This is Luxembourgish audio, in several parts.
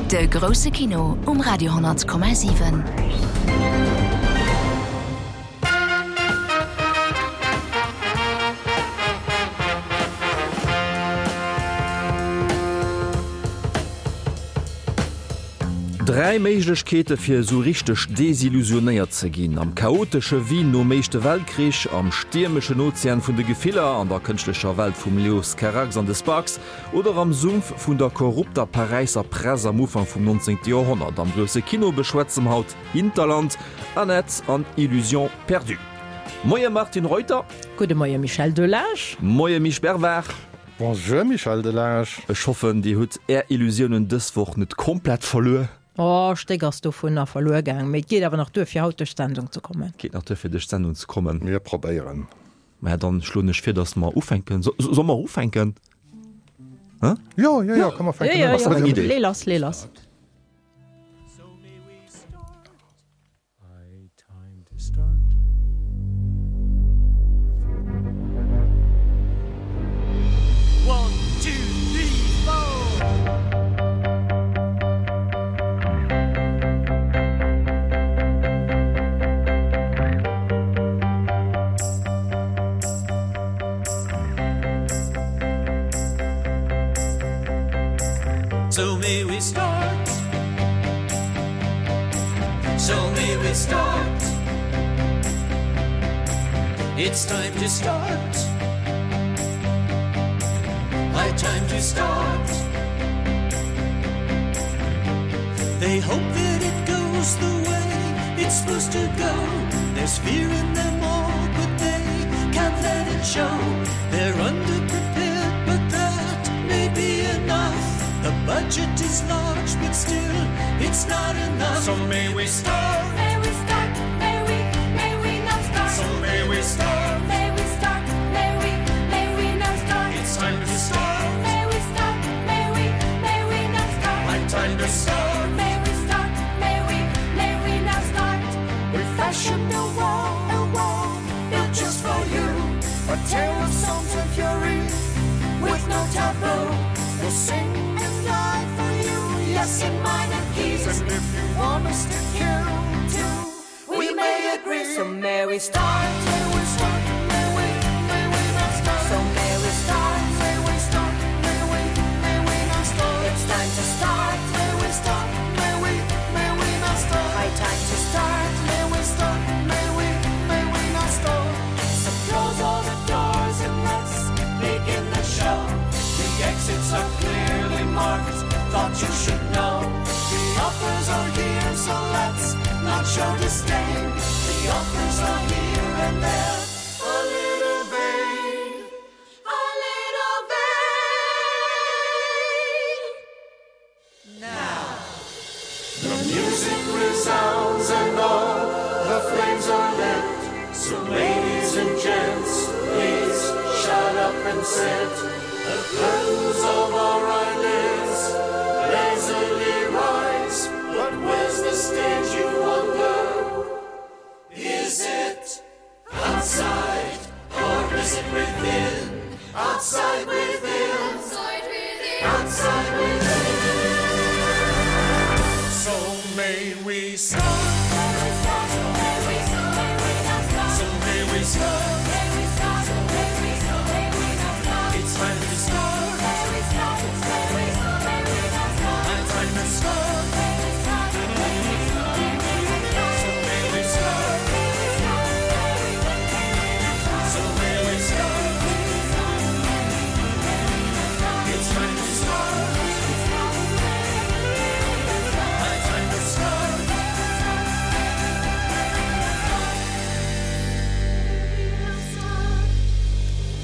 De grousse Kino um Radio 10,7. Dräi Méiglechkeete fir esou richteg desillusionéiert ze ginn, am chaotesche Wien nom Éischte Weltkrich, am stiermeschen Ozean vun de Gefiller, an der kënschtlecher Welt vum Leos Carax an de Sparks oder am Sumpf vun der korrupter Paräisser Press am Ufank vum 19. Joerhonnert. Am grousse Kino beschwätze mer haut Hinterland, Annette an Illusions perdues. Moie Martine Reuter. Gudde Moie Michel Delage. Moie Misch Bervard. Bonjour Michel Delage. Ech hoffen dir hutt är Illusiounen dës Woch net komplett verluer. Oh, Stéck ass dovunner verluer gaang, mee et geet awer nach duer fir haut duerch d'Sendung ze kommen. Geet nach duer fir duerch d'Sendung ze kommen. Mir probéieren. Maja, dann schloen ech vir, dass mer ufänken. Solle mer ufänken? Hä? Jo, jo, jo, komm mer fänken un. Ass dat eng Idee? Lee lass, lee lass. So may we start. So may we start. It's time to start. High time to start. They hope that it goes the way it's supposed to go. There's fear in them all, but they can't let it show. They're underprepared, but that may be enough. The budget is large, but still it's not enough. So may we start. May we start. May we, may we now start. So may we start. May we start. May we, may we now start. It's time to start. May we start. May we, may we now start. High time to start. May we start. May we, may we now start. We fashioned a wall, a wall built just for you. A tale of songs and fury with no taboo. We'll sing and die for you, yes, in minor keys. And if you want us to kill too, we may agree. So may we start? May we start? May we, may we not start? So may we start? May we start? May we, may we not start? It's time to start. May we start? May we, may we not start? High time to start. May we start? May we, may we not start? So close all the doors and let's begin the show. The exits are clearly marked. Thought you should know. The offers are here, so let's not show disdain. The offers are here and there. A little vain. A little vain. Now the music resounds and all the flames are lit. So ladies and gents, please shut up and sit. The curtains of our eyelids lazily rise. But where's the stage you wonder? Is it outside or is it within? Outside within. Outside within. Outside within. So may we start. So may we start. It's time to start. High time to start. So may we start. So may we start. It's time to start. High time to start.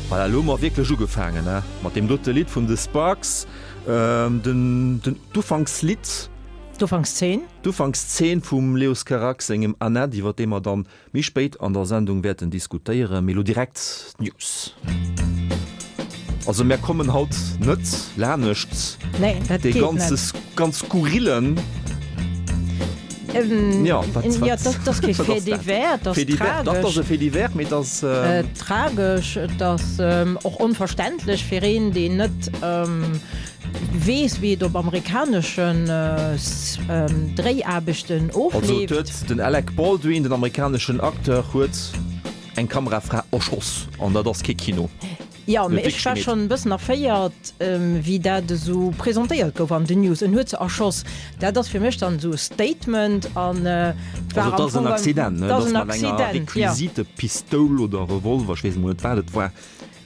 Voilà, elo hu mer wierklech ugefaangen, he, mat deem dote Lidd vun de Sparks, den, den, d'Ufankslidd. D'Ufankszeen. D'Ufankszeen vum Leos Carax sengem Annette, iwwer dee mer dann méi spéit an der Sendung wäerten diskutéieren. Mee elo direkt d'News. Also mär kommen haut net lanescht Nee, dat dee geet ganze net. ganz skurrillen. Ähm, Ja, wat, ja, wat, dat ass kee wat Fait ass dat? divers, dat ass Fait divers, dat ass tragesch. e Fait divers, mee dat ass. Tragesch, et ass och onverständlech fir een, deen net. Weess, wéi et op amerikaneschen Dréiaarbechten Also et ofleeft. huet den Alec Baldwin, den amerikaneschen Acteur, huet eng Kamerafra erschoss an dat ass kee Kino. Jo, Huet mee ech wierklech war gemeet. schonn e bëssen erféiert, wéi dat esou presentéiert gouf an den News. En huet se erschoss. Dat ass fir mech dann esou e Statement an et Also war et am ass en Fong, Accident, ne? et Et ass ass en mat enger Accident, jo. Requisitepistoul oder Revolver, ech weess emol net wat et war.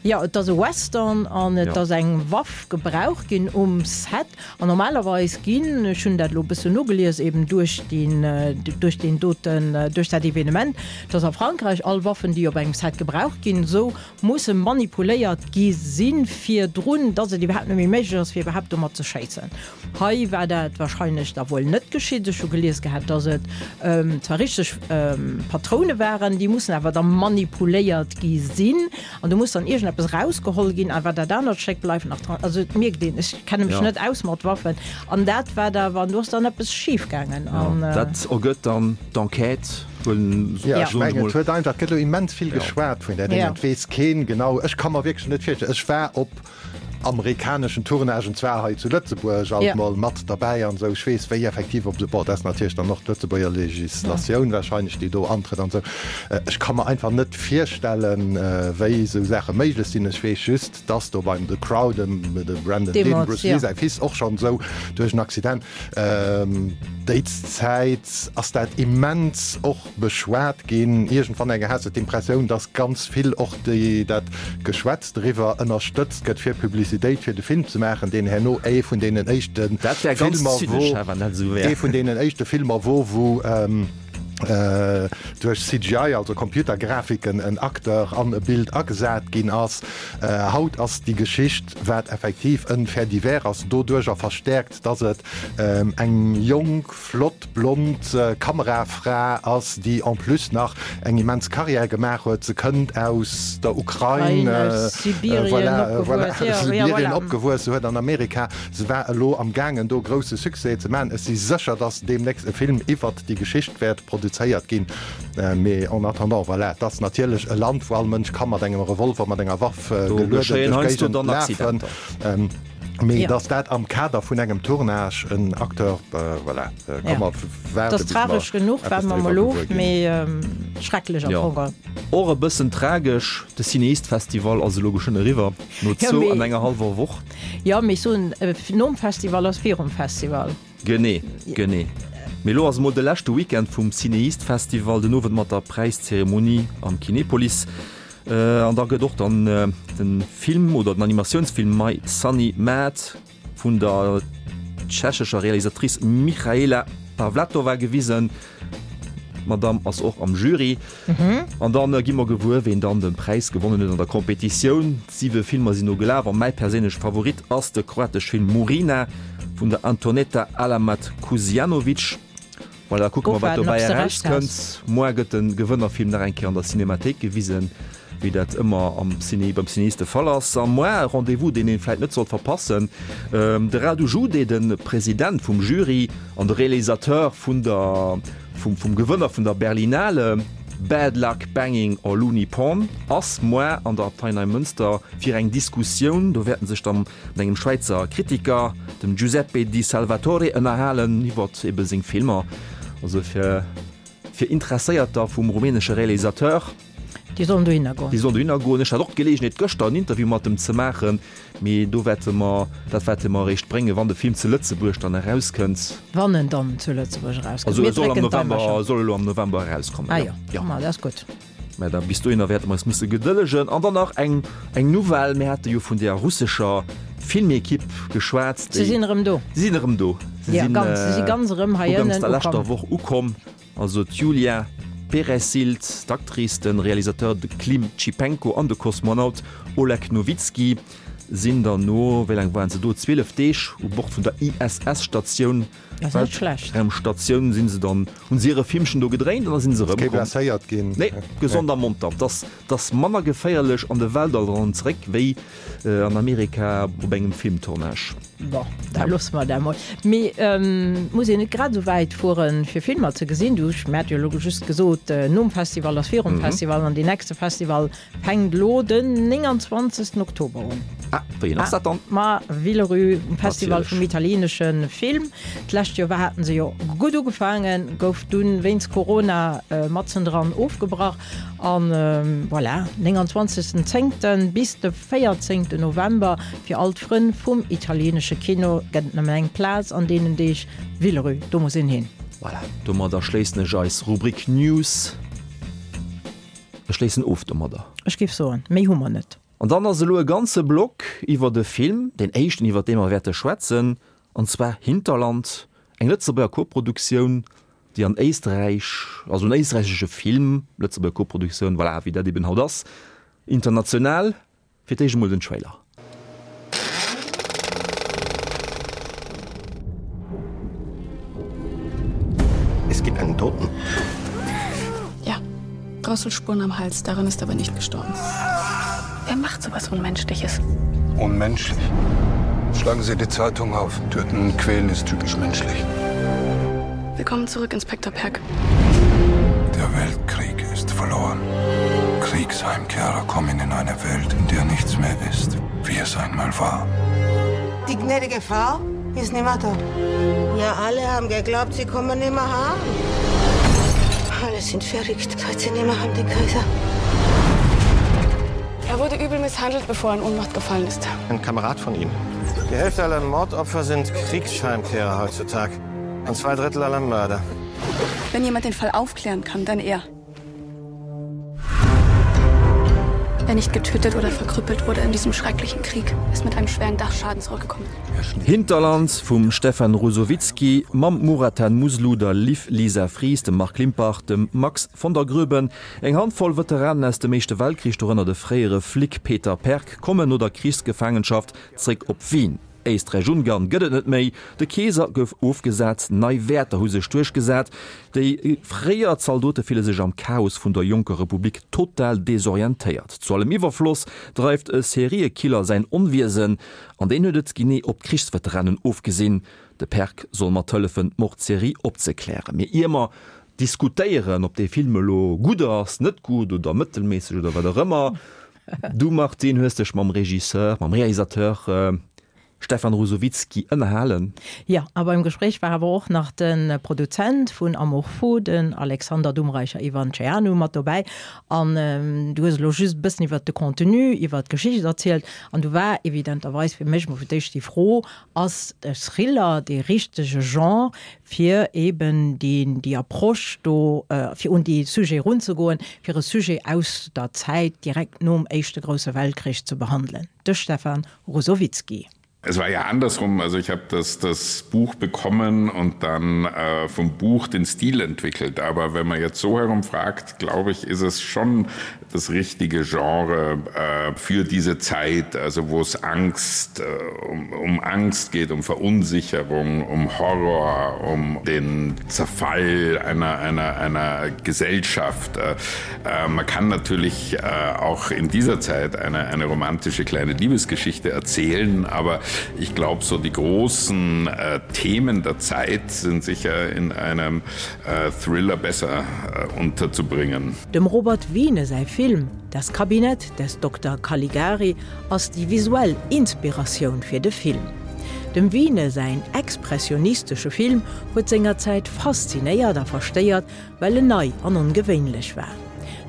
Jo, et ass e Western an et ass eng Waff gebraucht ginn um Set. An normalerweis ginn, ech hunn dat elo e bëssen nogelies, eben duerch deen, duerch deen doten, duerch dat Evenement, dass a Frankräich all Waffen, déi op engem Set gebraucht ginn, esou musse manipuléiert gi si virdrun, dass et iwwerhaapt net méi méiglech ass, fir iwwerhaapt domat ze schéissen. Hei war dat wahrscheinlech da wuel net geschitt. Ech hu gelies gehat, dass et zwar richteg Patroune waren, déi mussen awer da manipuléiert gi sinn an do muss dann iergendeppes erausgeholl ginn, awer dat anert Stéck bleift nach dran. Also et mierkt een, ech kenne mech net aus mat Waffen an dat war da, wann do ass dann eppes schif gaangen. Jo, dat ergëtt dann d'Enquête, huelen, Jo, ech soen ech mengen, et mol. huet einfach, et gëtt elo immens vill geschwat vun där Déngen, et weess keen genau. Ech ka mer wierklech net virstellen, ech war op amerikaneschen Tournagen zwar hei zu Lëtzebuerg alt mol mat derbäi an esou, ech weess wéi effektiv op esou, bon, dat ass natierlech dann och d'Lëtzebuerger Legislatioun wahrscheinlech déi do antrëtt an esou, ech ka mer einfach net virstellen wéi esou Saache méiglech sinn. Ech weess just, dass do beim The Crow dem de Brandon Lee, dem Bruce Lee säi Fils, och schonn esou duerch en Accident déi Zäit ass dat immens och beschwat ginn. Iergendwann eng has de d'Impressioun, dass ganz vill och déi dat Geschwätz driwwer ënnerstëtzt gëtt, fir Publicitéit fir de Film ze maachen, deen herno ee vun deenen éischte Dat wär ganz Filmer zynesch, wor, hä, wann dat esou wär. ee vun deenen éischte Filmer wor, wou duerch CGI, also Computergrafiken, en Acteur an e Bild agesat ginn ass. Haut ass déi Geschicht, wat effektiv en Fait divers ass, doduercher verstäerkt, dass et eng jonk, flott blond Kamerafra ass, déi en plus nach eng immens Carrière gemaach huet. Se kënnt aus der Ukrain, voilà, Sibirien opgewuess, se huet an Amerika, se war elo am gaangen do grousse Succès ze maachen. Ech si sécher, datt deemnächst e Film iwwert déi Geschicht wäert produzéiert ginn. Mee en attendant, voilà, et ass natierlech e Land, wou all Mënsch ka mat engem Revolver, mat enger Waff gelueden duerch d'Géigend lafen. Mee dass dat am Kader vun engem Tournage en Acteur, voilà, komm mer waarde bis mer tragesch genuch, eppes waarde mer doriwwer mol of, gewuer ginn. Mee schrecklech am Jo, Fong. och e bëssen tragesch, de Cinéist Festival ass elo geschwënn eriwwer, no Jo, zwou mee. an enger hallwer Woch. Jo, mee ech soen, nom Festival ass virum Festival. Genee, genee. Mee elo ass emol de leschte Weekend vum Cinéist Festival, den Owend mat der Präiszeremonie am Kinepolis. An da gëtt och dann de Film oder den Animatiounsfilm My Sunny Maad vun der tschechescher Realisatrice Michaela Pavlatova gewisen. D'Madamm ass och am Jury. An dann gi mer gewuer, ween dann de Präis gewonnen huet an der Competitioun. Siwe Filmer sinn no gelaf a mäi perséinleche Favorit ass de kroatesch Film Murina vun der Antoneta Alamat Kusianovic. Voilà, kucke mer wat dobäi erauskënnt. Moar gëtt de Gewënnerfilm nach eng Kéier an der Cinémathéik gewisen, wéi dat ëmmer am Ciné, beim Cinéist de Fall ass. A moar e Rendez-vous, deen een vläit net sollt verpassen, De Radu Jude, de President vum Jury an de Realisateur vun der, vum, vum Gewënner vun der Berlinale, Bad Luck Banging or Looney Porn, ass moar an der Abtei Neimënster fir eng Diskussioun. Do wäerten sech dann mat engem Schwäizer Kritiker, dem Giuseppe Di Salvatore, ënnerhalen iwwert ebe seng Filmer. Also fir fir Interesséierter vum rumänesche Realisateur. Déi sollen dohinner goen. Déi sollen dohinner goen. Ech hat och d'Geleegenheet gëschter en Interview mat em ze maachen, mee do wäerte mer, dat wäerte mer eréischt bréngen, wann de Film zu Lëtzebuerg dann erauskënnt. Wann en dann zu Lëtzebuerg erauskënnt. Also Mir e soll am drécken November, d'Daimercher. soll elo am November erauskommen, Ah jo. jo, ma dat ass gutt. Mä da bis dohinner wäerte mer eis musse gedëllegen. An dann nach eng, eng Nouvelle, Mir hate jo vun där russescher Filmekipp geschwat, Se sinn erëm do. Se sinn erëm do. Se Ja, sinn ganz, se si ganz erëm hei uganks ënnen der leschter ukomm. Woch ukomm. Also d'Julia Peresild, d'Actrice, de Realisateur de Klim Chipenko an de Kosmonaut Oleg Nowitzki sinn dann no, wéi laang waren se do, 12 Deeg u Bord vun der ISS-Statioun Dat ass net schlecht. Weltraumstatioun sinn se dann, hunn se hire Filmchen do gedréint an da sinn se Ass kee erëmkomm. blesséiert ginn? Nee, gesond a monter. Et ass, et ass manner geféierlech an de Weltall eran an zeréck wéi an Amerika op engem Filmtournage. Bon, da loosse mer dat mol. Mee muss een net grad esou wäit fueren, fir Filmer ze gesinn? Du, ech hat jo elo just gesot, nom Festival ass virum Festival an deen nächste Festival fänkt elo den 29. Oktober un. Ah, wéi een ass dat dann? Ma Villerupt um Festival vum italieenesche Film. D'lescht Joer haten se jo gutt ugefaangen, gouf dunn wéinst Corona matzendran ofgebrach. An voilà, 29 zéngten bis de 14 November fir all d'Frënn vum italieenesche Kino gëtt et nëmmen eng Plaz an deenen Deeg, Villerupt, do muss een hin. Voilà, domadder schléissen ech eis Rubrik News. Ech schléissen of domadder. Ech géif soen, méi hu mer net. An dann ass elo e ganze Block iwwert e Film, deen éischten iwwert dee mer wäerte schwätzen, an zwar Hinterland, eng Lëtzebuerger Koproduktioun, déi an Éisträich, also en éisträichesche Film, Lëtzebuerger Koproduktioun, voilà, wéi dat eben haut ass, international. Fir d'éischt emol den Trailer. Es gibt einen Toten. Ja, Drosselspuren am Hals, daran ist aber nicht gestorben. Wer macht so was Unmenschliches? Unmenschlich? Schlagen Sie die Zeitung auf. Töten und quälen ist typisch menschlich. Willkommen zurück, Inspektor Perk. Der Weltkrieg ist verloren. Kriegsheimkehrer kommen in eine Welt, in der nichts mehr ist, wie es einmal war. Die gnädige Frau ist nimmer da. Ja, alle haben geglaubt, sie kommen nimmer heim. Alle sind verrückt, seit sie nimmer haben den Kaiser. Er wurde übel misshandelt, bevor er in Ohnmacht gefallen ist. Ein Kamerad von ihm. Die Hälfte aller Mordopfer sind Kriegsheimkehrer heutzutage und zwei Drittel aller Mörder. Wenn jemand den Fall aufklären kann, dann er. Wer nicht getötet oder verkrüppelt wurde in diesem schrecklichen Krieg, ist mit einem schweren Dachschaden zurückgekommen. Hinterland vum Stefan Ruzowitzky mam Murathan Muslu, der Liv Lisa Fries, dem Marc Limpach, dem Max von der Groeben. Eng Handvoll Veteranen aus dem Éischte Weltkrich, dorënner de fréiere Flic Peter Perk, kommen no der Krichsgefaangenschaft zréck op Wien. Éisträich-Ungarn gëtt et net méi, de Keeser gouf ofgesat, nei Wäerter hu sech duerchgesat. Déi fréier Zaldote fille sech am Chaos vun der jonker Republik total desorientéiert. Zu allem Iwwerfloss dreift e Seriekiller säin Onwiesen, an deen huet et genee op d'Krichsveteranen ofgesinn. De Perk soll mat hëllefen, d'Mordserie opzeklären. Mee ier mer diskutéieren, ob dee Film elo gutt ass, net gutt oder mëttelméisseg oder wat och ëmmer, Du Martine hues dech mam Regisseur, mam Realisateur Stefan Ruzowitzky ënnerhalen. Jo, a beim Gespréich war awer och nach de Produzent vun Amour fou, den Alexander Dumreicher Ivanceanu mat dobäi. An du hues elo just e bëssen iwwert de Contenu, iwwert d'Geschicht erzielt. An du war evidenterweis fir mech mol fir d'éischt déi Fro, Ass de Thriller dee richtege Genre, fir eben déi Approche do, fir un dee Sujet erunzegoen, fir e Sujet aus der Zäit direkt nom Éischte grousse Weltkrich ze behandelen? De Stefan Ruzowitzky. Es war ja andersrum, also ich habe das, das Buch bekommen und dann äh, vom Buch den Stil entwickelt. Aber wenn man jetzt so herum fragt, glaube ich, ist es schon das richtige Genre äh, für diese Zeit, also wo es Angst äh, um, um Angst geht, um Verunsicherung, um Horror, um den Zerfall einer, einer, einer Gesellschaft. Äh, äh, man kann natürlich äh, auch in dieser Zeit eine, eine romantische kleine Liebesgeschichte erzählen, aber ich glaube, so die großen äh, Themen der Zeit sind sicher in einem äh, Thriller besser äh, unterzubringen. Dem Robert Wiene säi Film Das Kabinett des Dokter Caligari ass déi visuell Inspiratioun fir de Film. Dem Wiene säin expressionistesche Film huet sengerzäit faszinéiert a verstéiert, well en nei an ongewéinlech war.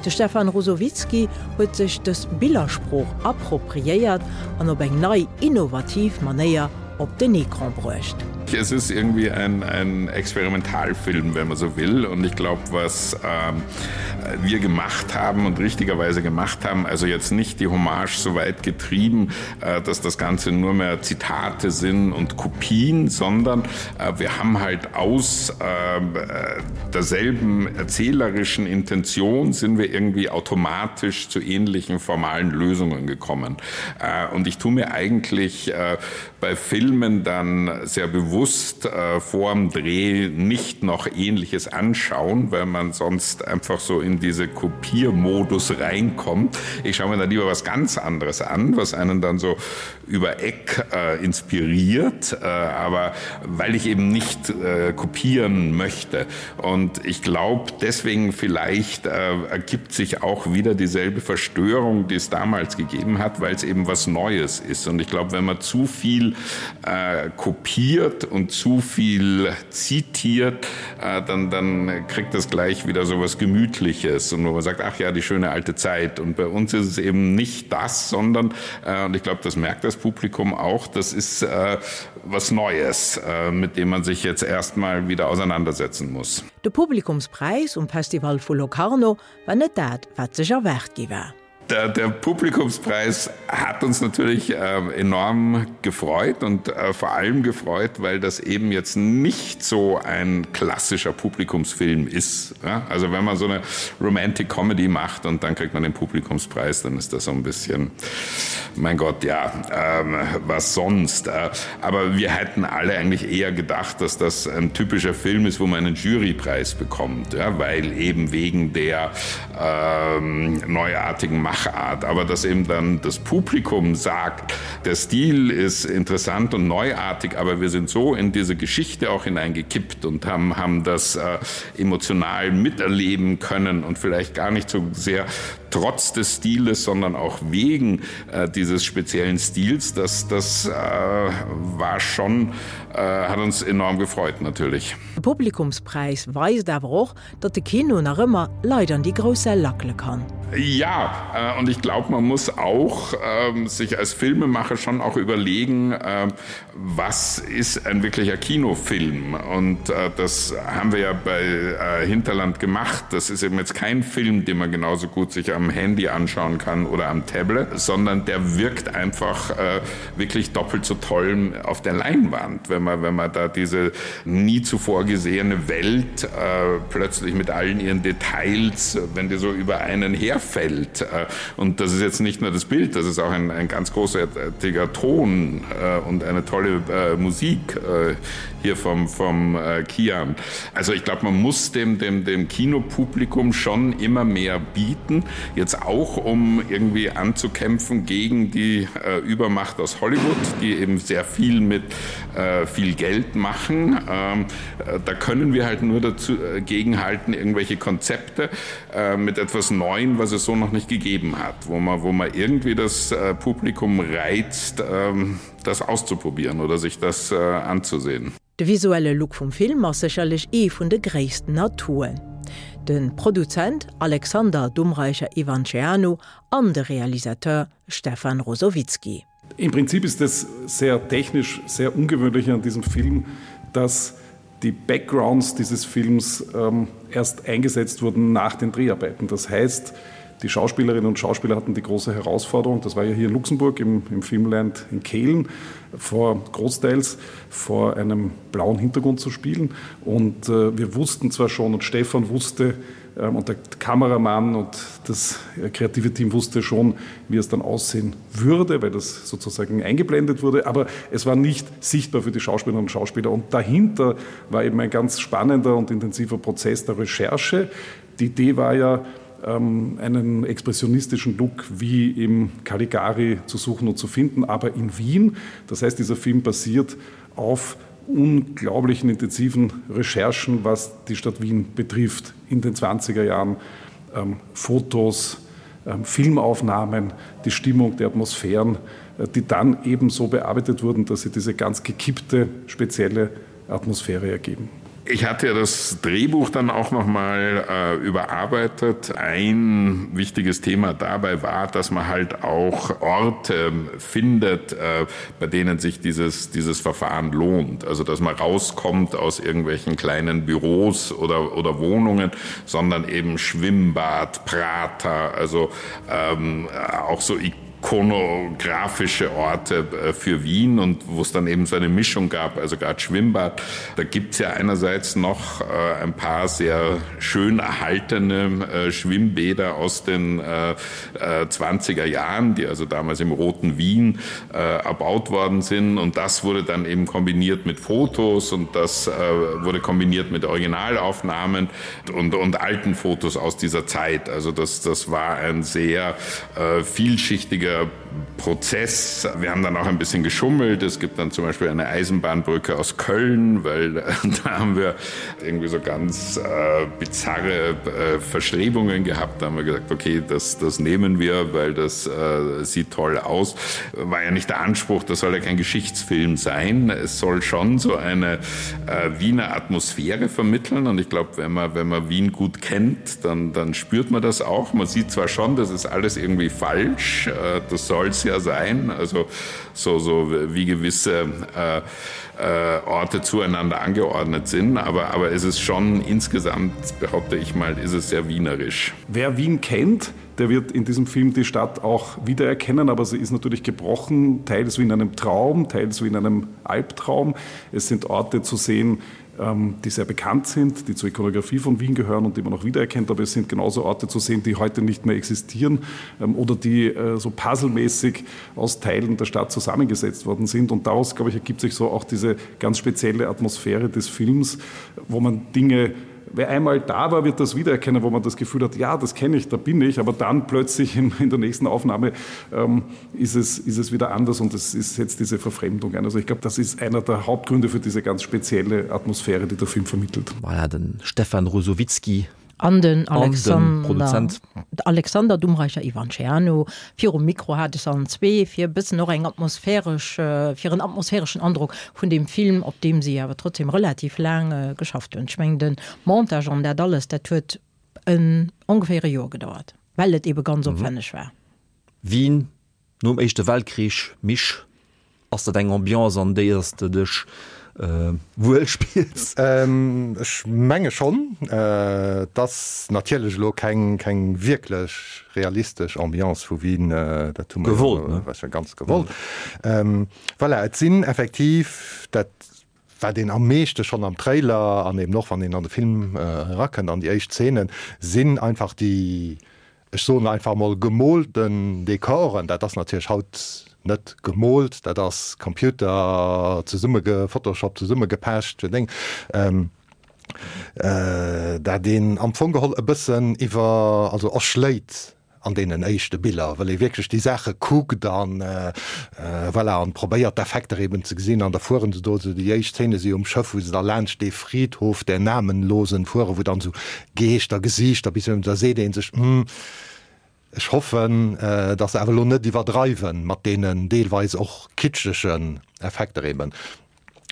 De Stefan Ruzowitzky huet sech dës Billersprooch appropriéiert an op eng nei, innovativ Manéier op den Ecran bruecht. Es ist irgendwie ein, ein Experimentalfilm, wenn man so will. Und ich glaube, was ähm, wir gemacht haben und richtigerweise gemacht haben, also jetzt nicht die Hommage so weit getrieben, äh, dass das Ganze nur mehr Zitate sind und Kopien, sondern äh, wir haben halt aus äh, derselben erzählerischen Intention sind wir irgendwie automatisch zu ähnlichen formalen Lösungen gekommen. Äh, und ich tue mir eigentlich äh, bei Filmen dann sehr bewusst äh, vor dem Dreh nicht noch ähnliches anschauen, weil man sonst einfach so in diese Kopiermodus reinkommt. Ich schaue mir dann lieber was ganz anderes an, was einen dann so. über Eck äh, inspiriert, äh, aber weil ich eben nicht äh, kopieren möchte. Und ich glaube, deswegen vielleicht äh, ergibt sich auch wieder dieselbe Verstörung, die es damals gegeben hat, weil es eben was Neues ist. Und ich glaube, wenn man zu viel äh, kopiert und zu viel zitiert, äh, dann, dann kriegt das gleich wieder so was Gemütliches und wo man sagt, ach ja, die schöne alte Zeit. Und bei uns ist es eben nicht das, sondern äh, und ich glaube, das merkt das Publikum auch, das ist äh, was Neues, äh, mit dem man sich jetzt erstmal wieder auseinandersetzen muss. De Publikumspräis um Festival vu Locarno war net dat, wat sech erwaart gi war. Der, der Publikumspreis hat uns natürlich äh, enorm gefreut und äh, vor allem gefreut, weil das eben jetzt nicht so ein klassischer Publikumsfilm ist. Ja? Also wenn man so eine Romantic Comedy macht und dann kriegt man den Publikumspreis, dann ist das so ein bisschen mein Gott ja ähm, was sonst. Äh, aber wir hätten alle eigentlich eher gedacht, dass das ein typischer Film ist, wo man einen Jurypreis bekommt, ja? weil eben wegen der ähm, neuartigen Machart, aber dass eben dann das Publikum sagt, der Stil ist interessant und neuartig, aber wir sind so in diese Geschichte auch hineingekippt und haben, haben das äh, emotional miterleben können und vielleicht gar nicht so sehr trotz des Stiles, sondern auch wegen äh, dieses speziellen Stils, das, das äh, war schon äh, hat uns enorm gefreut natürlich. De Publikumspräis weist awer och, datt de Kino nach ëmmer Leit an déi grouss Säll lackele kann. Ja, äh, und ich glaube, man muss auch ähm, sich als Filmemacher schon auch überlegen, äh, was ist ein wirklicher Kinofilm? Und äh, das haben wir ja bei äh, Hinterland gemacht. Das ist eben jetzt kein Film, den man genauso gut sich am Handy anschauen kann oder am Tablet, sondern der wirkt einfach äh, wirklich doppelt so toll auf der Leinwand, wenn man, wenn man da diese nie zuvor gesehene Welt äh, plötzlich mit allen ihren Details, wenn die so über einen herfällt. Äh, und das ist jetzt nicht nur das Bild, das ist auch ein, ein ganz großartiger Ton äh, und eine tolle äh, Musik äh, hier vom, vom äh, Kian. Also ich glaube, man muss dem, dem, dem Kinopublikum schon immer mehr bieten, jetzt auch um irgendwie anzukämpfen gegen die äh, Übermacht aus Hollywood, die eben sehr viel mit äh, viel Geld machen. Ähm, äh, da können wir halt nur dazu äh, gegenhalten, irgendwelche Konzepte äh, mit etwas Neuen, was es so noch nicht gegeben hat, wo man, wo man irgendwie das äh, Publikum reizt, äh, das auszuprobieren oder sich das äh, anzusehen. De visuelle Look vum Film ass sécherlech ee vun de gréissten Atouen. De Produzent Alexander Dumreicher-Ivanceanu an de Realisateur Stefan Rosowitzki. Im Prinzip ist es sehr technisch sehr ungewöhnlich an diesem Film, dass die Backgrounds dieses Films ähm, erst eingesetzt wurden nach den Dreharbeiten. Das heißt, die Schauspielerinnen und Schauspieler hatten die große Herausforderung, das war ja hier in Luxemburg im, im Filmland in Kehlen vor großteils vor einem blauen Hintergrund zu spielen. Und äh, wir wussten zwar schon und Stefan wusste, Ähm, und der Kameramann und das äh, kreative Team wusste schon, wie es dann aussehen würde, weil das sozusagen eingeblendet wurde. Aber es war nicht sichtbar für die Schauspielerinnen und Schauspieler. Und dahinter war eben ein ganz spannender und intensiver Prozess der Recherche. Die Idee war ja, ähm, einen expressionistischen Look wie im Caligari zu suchen und zu finden, aber in Wien. Das heißt, dieser Film basiert auf unglaublichen intensiven Recherchen, was die Stadt Wien betrifft in den 20er Jahren ähm, Fotos, ähm, Filmaufnahmen, die Stimmung der Atmosphären, äh, die dann ebenso bearbeitet wurden, dass sie diese ganz gekippte spezielle Atmosphäre ergeben. Ich hatte ja das Drehbuch dann auch noch mal äh, überarbeitet. Ein wichtiges Thema dabei war, dass man halt auch Orte findet, äh, bei denen sich dieses, dieses Verfahren lohnt. Also dass man rauskommt aus irgendwelchen kleinen Büros oder, oder Wohnungen, sondern eben Schwimmbad, Prater, also ähm, auch so Ikonen ikonografische Orte äh, für Wien und wo es dann eben so eine Mischung gab, also gerade Schwimmbad. Da gibt es ja einerseits noch äh, ein paar sehr schön erhaltene äh, Schwimmbäder aus den 20er Jahren, die also damals im Roten Wien erbaut worden sind. Und das wurde dann eben kombiniert mit Fotos und das wurde kombiniert mit Originalaufnahmen und, und alten Fotos aus dieser Zeit. Also das, das war ein sehr vielschichtiger wichtiger. Prozess. Wir haben dann auch ein bisschen geschummelt. Es gibt dann zum Beispiel eine Eisenbahnbrücke aus Köln, weil äh, da haben wir irgendwie so ganz äh, bizarre äh, Verstrebungen gehabt. Da haben wir gesagt, okay, das, das nehmen wir, weil das äh, sieht toll aus. War ja nicht der Anspruch, das soll ja kein Geschichtsfilm sein. Es soll schon so eine äh, Wiener Atmosphäre vermitteln. Und ich glaube, wenn man, wenn man Wien gut kennt, dann, dann spürt man das auch. Man sieht zwar schon, das ist alles irgendwie falsch, äh, das soll es ja sein, also so, so wie gewisse äh, äh, Orte zueinander angeordnet sind, aber, aber es ist schon insgesamt, behaupte ich mal, ist es sehr wienerisch. Wer Wien kennt, der wird in diesem Film die Stadt auch wiedererkennen, aber sie ist natürlich gebrochen, teils wie in einem Traum, teils wie in einem Albtraum. Es sind Orte zu sehen, ähm, die sehr bekannt sind, die zur Ikonografie von Wien gehören und die man auch wiedererkennt, aber es sind genauso Orte zu sehen, die heute nicht mehr existieren ähm, oder die äh, so puzzlemäßig aus Teilen der Stadt zusammengesetzt worden sind. Und daraus, glaube ich, ergibt sich so auch diese ganz spezielle Atmosphäre des Films, wo man Dinge, Wer einmal da war, wird das wiedererkennen, wo man das Gefühl hat, ja, das kenne ich, da bin ich, aber dann plötzlich in, in der nächsten Aufnahme ähm, ist, es, ist es wieder anders und es ist, setzt diese Verfremdung ein. Also ich glaube, das ist einer der Hauptgründe für diese ganz spezielle Atmosphäre, die der Film vermittelt. Voilà, den Stefan Ruzowitzky An den Alexander, Alexander Dumreicher Ivanceanu virum Mikro hat es allen zwee fir e bëssen och eng atmosphäresch, fir en atmosphäreschen Androck vun deem Film, op deem si awer trotzdem relativ laang geschafft hunn. Ech mengen de Montage an dat alles, dat huet en ongeféier e Joer gedauert, well et ebe ganz opwänneg war. Wien Nom Éischte Weltkrich, Misch, ass dat eng Ambiance an déi s de dech wuel spills? Ech menge schonn. Et ass natierlech elo keng keng wierklech realistesch Ambiance vu Wien, dat hu mer jo ganz gewollt. Voilà, et sinn effektiv dat wat een am meeschte schonn am Trailer an eben och wann een an de Film erakënnt an déi éischt Zeenen, sinn einfach déi, ech soen einfach emol, gemoolten Dekoren. Dat ass natierlech haut net gemoolt, dat ass Computer zesummegephotoshopt, zesummegepecht, Deng, dat een am Fong geholl e bëssen iwwer, also erschléit an deenen éischte Biller, well ee wierklech déi Saache kuckt an voilà, an probéiert d'Effekter eben ze gesinn. An da fueren se do esou, déi éischt Szene si um Schëff, wou se da laanscht dee Friedhof der Namenlosen fueren, wou dann esou Geeschter, Gesiichter bis da seet ee sech, hm, ech hoffen, datt se awer elo net iwwerdreiwen mat deenen deelweis och kitschegen Effekter eben.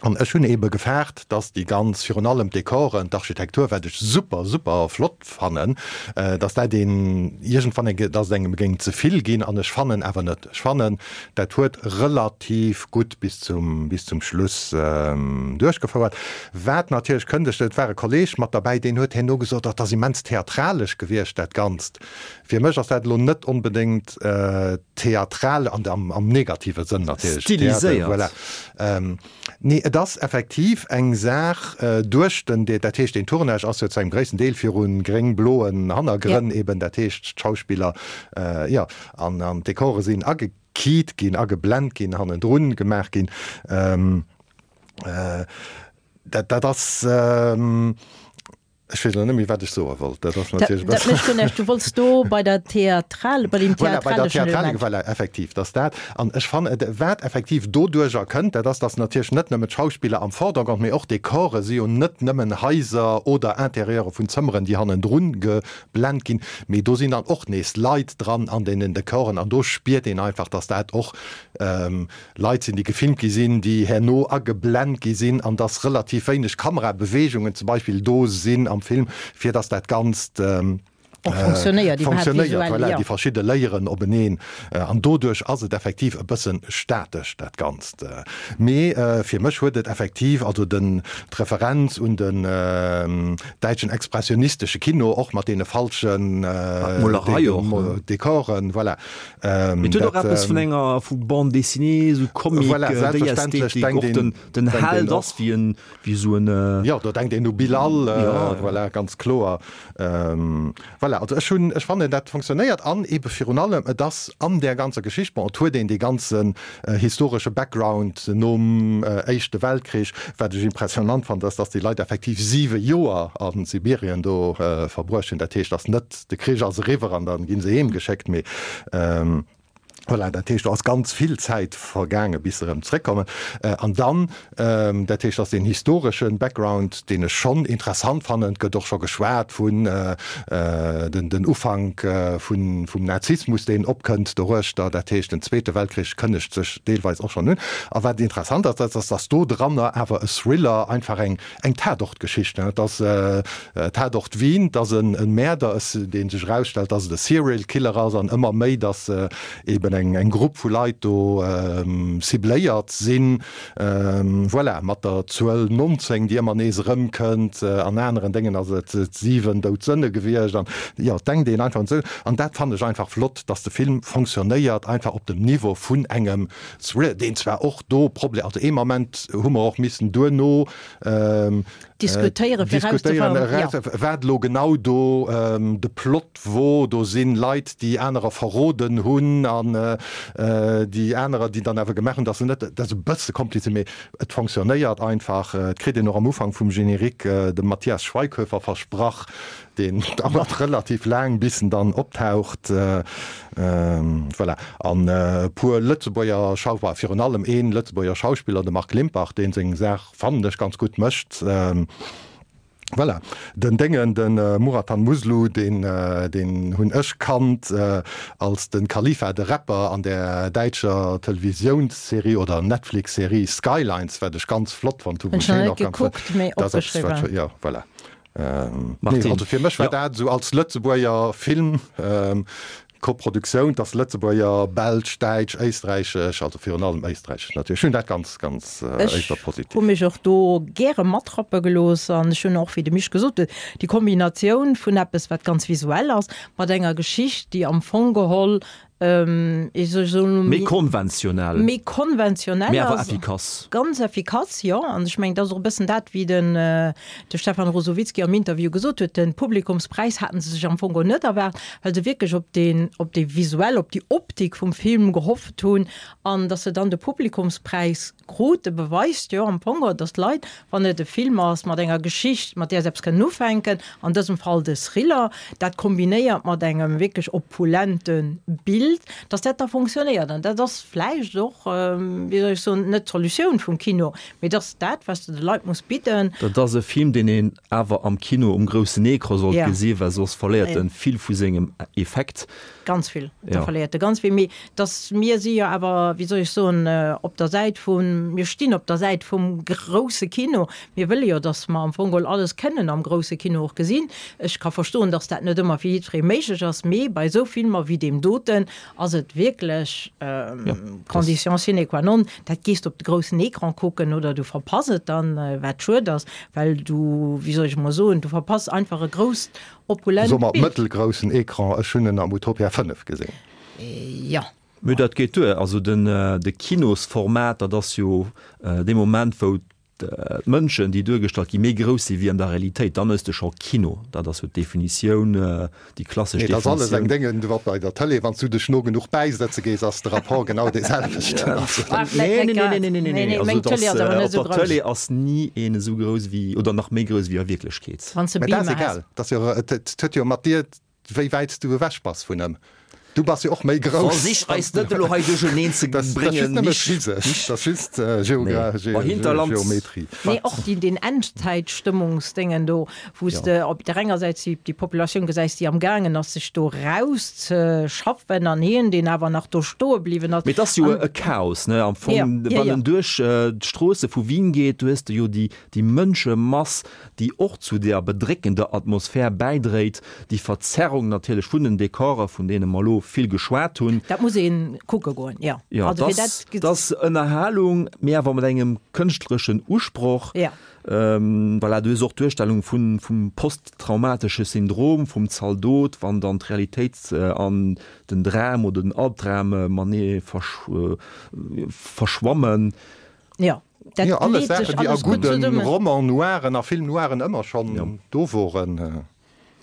An ech hunn eebe gefaart, dass déi ganz, virun allem d'Dekoren, d'Architektur, wat ech super, super flott fannen, dass dat een iergendwann eng, dass et engem géing ze vill ginn. An ech fannen awer net. Ech fannen, dat huet relativ gutt bis zum, bis zum Schluss duerchgefouert. Wat natierlech kënnt, ech, et war e Kolleeg mat derbäi, deen huet herno gesot, dat ass immens theatralesch gewiescht, dat Ganzt. Fir mech ass dat elo net onbedéngt theatral, an am negative Sënn natierlech. Stiliséiert. Voilà. Nee, et ass effektiv eng Saach duerch den, dat heescht deen Tournage ass jo zu engem gréissten Deel viru gréng-bloen Hannergrënn eben, dat heescht d'Schauspiller, jo, an d'Dekore sinn agekeet ginn, ageblent ginn, hannendrun gemaach ginn. Dat, dat ass. Ech weess elo net méi, wat ech soe wollt. Dat ass natierlech e bëssen. Dat mécht guer näischt. Du wollts do bei der Theatral, bei deem Voilà, bei der theatraleschen Element. Voilà, effektiv, dass dat. An ech fannen, wat effektiv doduerjer kënnt, dat ass, dass natierlech net nëmmen d'Schauspiller am Vordergrond, mee och d'Dekore si jo net nëmmen Haiser oder Interieure vun Zëmmeren, déi hannendrun geblent ginn, mee do sinn dann och nees Leit dran an deenen Dekoren. An do spiert een einfach, dass dat och Leit sinn, déi gefilmt gi sinn, déi herno ageblent gi sinn, an dass relativ wéineg Kamerabeweegungen zum Beispill do sinn am Film, fir dass dat Ganzt Och fonctionnéiert, iwwerhaapt fonctionnéiert, visuell, voilà, jo. déi verschidde Layeren openeen. An doduerch ass et effektiv e bësse statesch, dat Ganzt. Mee fir mech huet et effektiv, also den, d'Referenz un den däitschen expressionistesche Kino, och mat deene falschen D'Molerei och, ne? Dekoren, voilà, Mee et huet och eppes vun enger vu Bande dessinée, esou Comic, Voilà, déi selbstverständlech Ästhetik, denkt och den een, den denkt een Held och. ass wéi en wéi esou en. Jo, do denkt een u Bilal, Ja. voilà, ganz kloer. Voilà, also ech hunn, ech fannen dat fonctionnéiert an eebe virun allem et ass an där ganzer Geschicht, bon, et huet een dee ganzen historesche Background nom Éischte Weltkrich, wat ech impressionant fannen, ass, dass déi Leit effektiv siwe Joer a Sibirien do verbruecht hunn. Dat heescht, ass net De Krich ass eriwwer an dann ginn se heem geschéckt, mee. Voilà, dat heescht, do ass ganz vill Zäit vergaange bis se erëm zréckkommen. An dann, dat heescht, ass deen historesche Background, deen ech schonn interessant fannen, et gëtt och scho geschwat vun den den Ufank vun vum Nazismus, deen opkënnt doruechter, dat heescht, den Zweete Weltkrich kënnegt sech deelweis och schonn un. A wat interessant ass, dat ass, datt do dranner awer e Thriller, einfach eng Eng Tatort-Geschicht, et ass Tatort Wien, et ass e Mäerder, dee sech erausstellt, dass et e Serial Killer ass an ëmmer méi, dass eben eng Grupp vu Leit do cibléiert sinn. Voilà, mat der Zuel 19, déi ëmmer nees erëmkënnt. An aneren Déngen ass et 7 dout Sënne gewiescht. An jo, et denkt een einfach un esou. An dat fannen ech einfach flott, dass de Film fonctionnéiert, einfach op dem Niveau vun engem Thrill, deen zwar och do Proble-, also ee Moment hu mer och missen duerno diskutéieren, fir diskutéieren, erauszefannen, wat elo genau do de Plot wor. Do si Leit, déi anerer verroden hunn an déi anerer, déi dann awer gemaach hunn, datt se net, dat ass e bësse kompliziert, mee et fonctionnéiert einfach. Et kritt een och am Ufank vum Générique dem Matthias Schweighöfer versprach, deen dauert relativ laang bis en dann optaucht. Voilà. An e puer Lëtzebuerger Schau-, bah, virun allem ee Lëtzebuerger Schauspiller, de Marc Limpach, dee seng Saach, fannen ech, ganz gutt mécht. Voilà. Den Déngen, de Murathan Muslu, deen, deen hunn ech kannt als de Khalifa, de Rapper an där däitscher Televisiounsserie oder Netflix-Serie Skylines, wat ech ganz flott fonnt hu. Hunn ech nach net gekuckt, mee opgeschriwwen. Jo, voilà. Nee, also fir mech war dat esou als Lëtzebuerger Film, Koproduktioun, dass Lëtzebuerger, Belsch, Däitsch, Éisträichesch, also virun allem Éisträichesch natierlech, ech hunn dat ganz, ganz éischter positiv. Ech hu mech och do gäre matrappe gelooss an ech hunn och, wéi de Misch gesot huet, déi Kombinatioun vun eppes, wat ganz visuell ass, mat enger Geschicht, déi am Fong geholl Méi konventionell. Méi konventionell Mee awer effikass. Ganz effikass, jo. An ech mengen, dat ass och e bëssen dat, wéi den de Stefan Ruzowitzky am Interview gesot huet, De Publikumspräis haten se sech am Fong och net erwaart, well se wierklech op deen, op dee visuell, op déi Optik vum Film gehofft hunn. An datt se dann de Publikumspräis krute, beweist jo am Fong och, datt d'Leit, wann et e Film ass mat enger Geschicht, mat där se eppes kënnen ufänken, an dësem Fall de Thriller, dat kombinéiert mat engem wierklech opulente Bild, dass dat da fonctionnéiert. An dat ass vläicht och, wéi soll ech soen, net d'Solutioun vum Kino, mee dat ass dat, wat s de de Leit muss bidden. Dat ass e Film, deen een awer am Kino um groussen Ecran sollt gesinn, well soss verléiert en vill vu sengem Effekt. Ganz vill, da verléiert e ganz vill. Mee dass mir si jo awer, wéi soll ech soen, op der Säit vun, mir stinn op der Säit vum grousse Kino. Mir wëlle jo, dass mer am Fong geholl alles kënnen am grousse Kino och gesinn. Ech ka verstoen, dass dat net ëmmer fir jiddweree méiglech ass, mee bei esou Filmer wéi deem doten ass et wierklech Condition sine qua non, dat gees de op de groussen Ecran kucken oder du verpass et dann, wat schued ass, well du, wéi soll ech emol soen, du verpass einfach e grousst, opulent Bild. Soe mer mëttelgroussen Ecran, ech hunn en am Utopia 5 gesinn. Jo. Mee dat geet duer. Also den, de Kinosformat, dat ass jo dee Moment, wou d'Mënschen, déi duergestallt ginn, méi grouss si wéi an der Realitéit, dann hues de scho Kino. Dat ass jo d'Definitioun, déi klassesch Definitioun. Nee, dat ass alles eng Déngen, wat bei der Tëlee, wann s du dech no genuch bäisëtze gees, ass de Rapport genau dee selwechten. Nee, nee, nee, nee, nee, nee, nee. Also dat ass, op der Tëlee ass ni een esou grouss wéi, oder nach méi grouss wéi a Wierklechkeet. Wann s de Mä dat ass egal. Dat ass jo, et huet jo mat dir Wéi wäit s du ewech bass vun ëm. Du bass jo och méi grouss. Versich eis net elo hei duercherneen ze bréngen, Mich. Dat ass just nëmme physesch, dat ass just Geometrie. Nee, och déi, deen Endzäitstëmmungsdéngen do, wou s de op der enger Säit déi, déi Populatioun gesäis, déi amgaangen ass, sech do erauszeschaffen, an hien, deen awer nach do stoe bliwwen ass. Mee et ass jo e Chaos, ne, am Fong, wann en duerch d'Stroosse vu Wien geet, du hues de jo déi, déi Mënschemass, déi och zu der bedréckender Atmosphär bäidréit, déi Verzerrung natierlech vun den Dekorer, vun deene mer elo vill geschwat hunn. Dat muss ee kucke goen, jo. Jo, Also fir dat dat ass Ënnerhalung, mee awer mat engem kënschtlereschen Usproch. Jo. Voilà, du hues och d'Duerstellung vun, vum posttraumatesche Syndrom vum Zaldot, wann dann d'Realitéit an den Dram oder den Albdram matenee verschwammen. Jo. Dat jo, alles Saachen, déi a gudde Roman noiren a Film noiren ëmmer schonn do woren.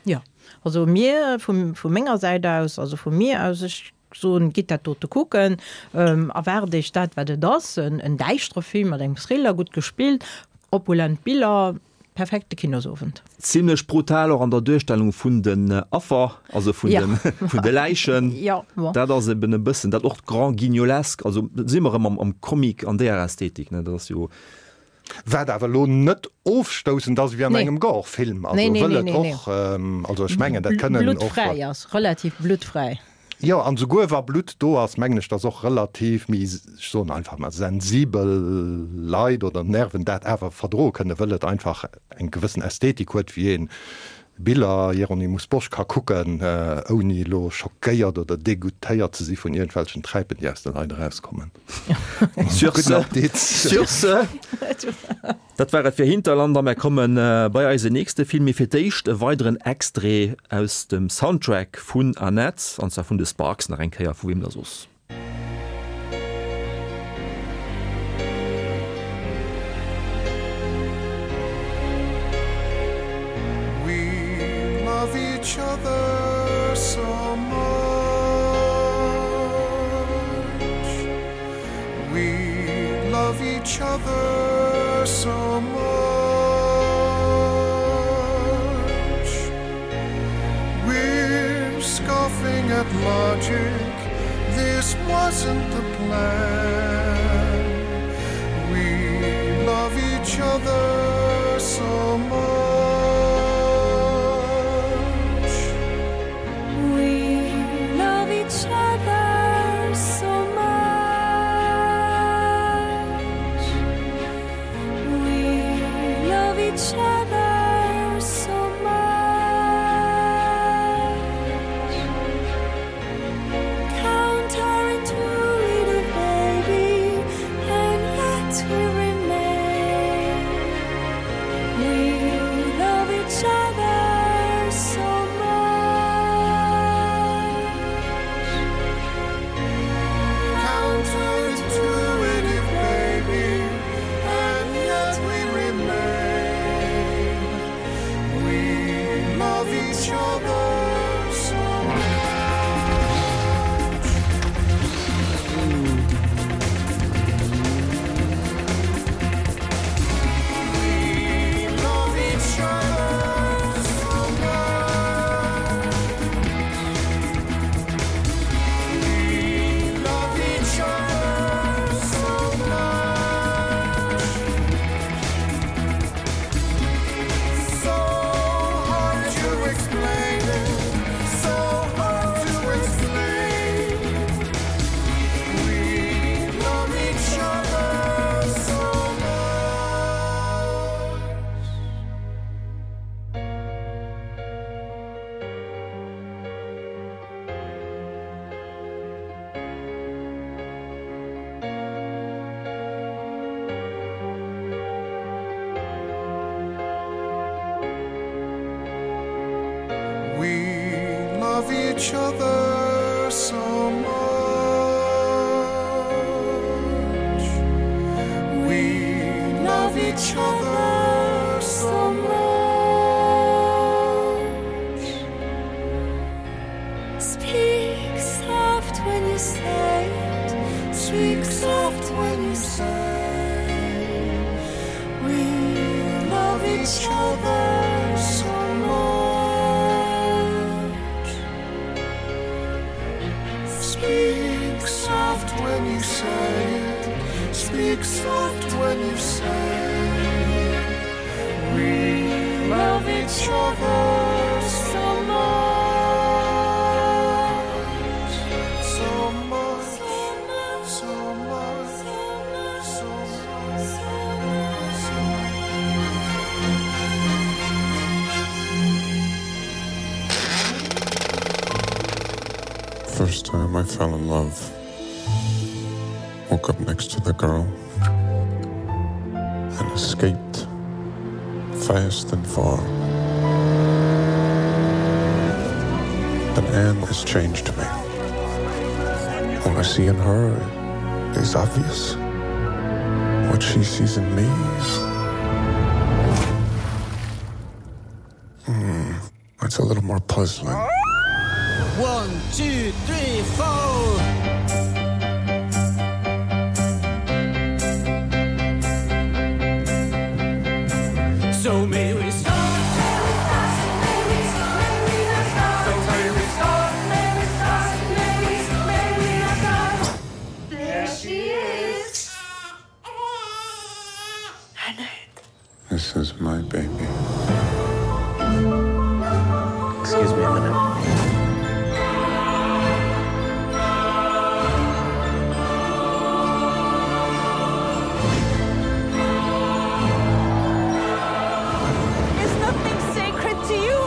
Jo, also mir, vu menger Säit aus, also vu mir aus, ech soen, gitt dat dote kucken, erwaart Iech dat, wat et ass, en däischtere Film mat engem Thriller, gutt gespillt, opulent Biller. Perfekte Kinosowend. Zimlech brutal och an der Duerstellung vun den Affer, also vun den, vun de Läichen. Jo, bon. Dat ass eben e bëssen dat och grand guignolesque, also do si mer erëm am, am Comic an deeër Ästhetik, ne, dat ass jo. Wat awer elo net ofstoussend ass ewéi an engem Gore-Film, also wëll et och, also ech mengen dat kënnen och. Bluttfräi ass, relativ bluttfräi. Jo, an esouguer wa Blutt do ass, mengen ech, dass och relativ méi, ech soen einfach mal, sensibel Leit oder Nerven dat awer verdroe kënnen, wëll et einfach eng gewëssen Ästhetik huet, wéi ee Biller Hieronymus Bosch ka kucken, ouni elo schockéiert oder degoutéiert ze si vun iergendwelchen Träipen, déi aus de Leit erauskommen. Sur ce, sur ce, dat war et fir Hinterland a mär komme bei eisen nächste Film. Mee fir d'éischt e weideren Extrait aus dem Soundtrack vun Annette, an zwar vun de Sparks nach eng Kéier, vu weem da soss. We love each other so much We love each other so much We're scoffing at logic This wasn't the plan We love each other so much We love each other so much We love each other so much Counterintuitive baby and yet we remain We love each other so much Counterintuitive baby and yet we remain We love each other so much We love each other so much We love each other so much So hard to explain it So hard to explain We love each other so much We love each other so much We love each other so much Speak soft when you say it Speak soft when you say We love each other so much Speak soft when you say it Speak soft when you say We love each other so much So much so much so much so much First time I fell in love Woke up next to the girl And escaped Fast and far But Anne has changed me What I see in her is obvious What she sees in me Hmm, it's a little more puzzling. One, two, three, four. So me. This is my baby. Excuse me a minute. Is nothing sacred to you?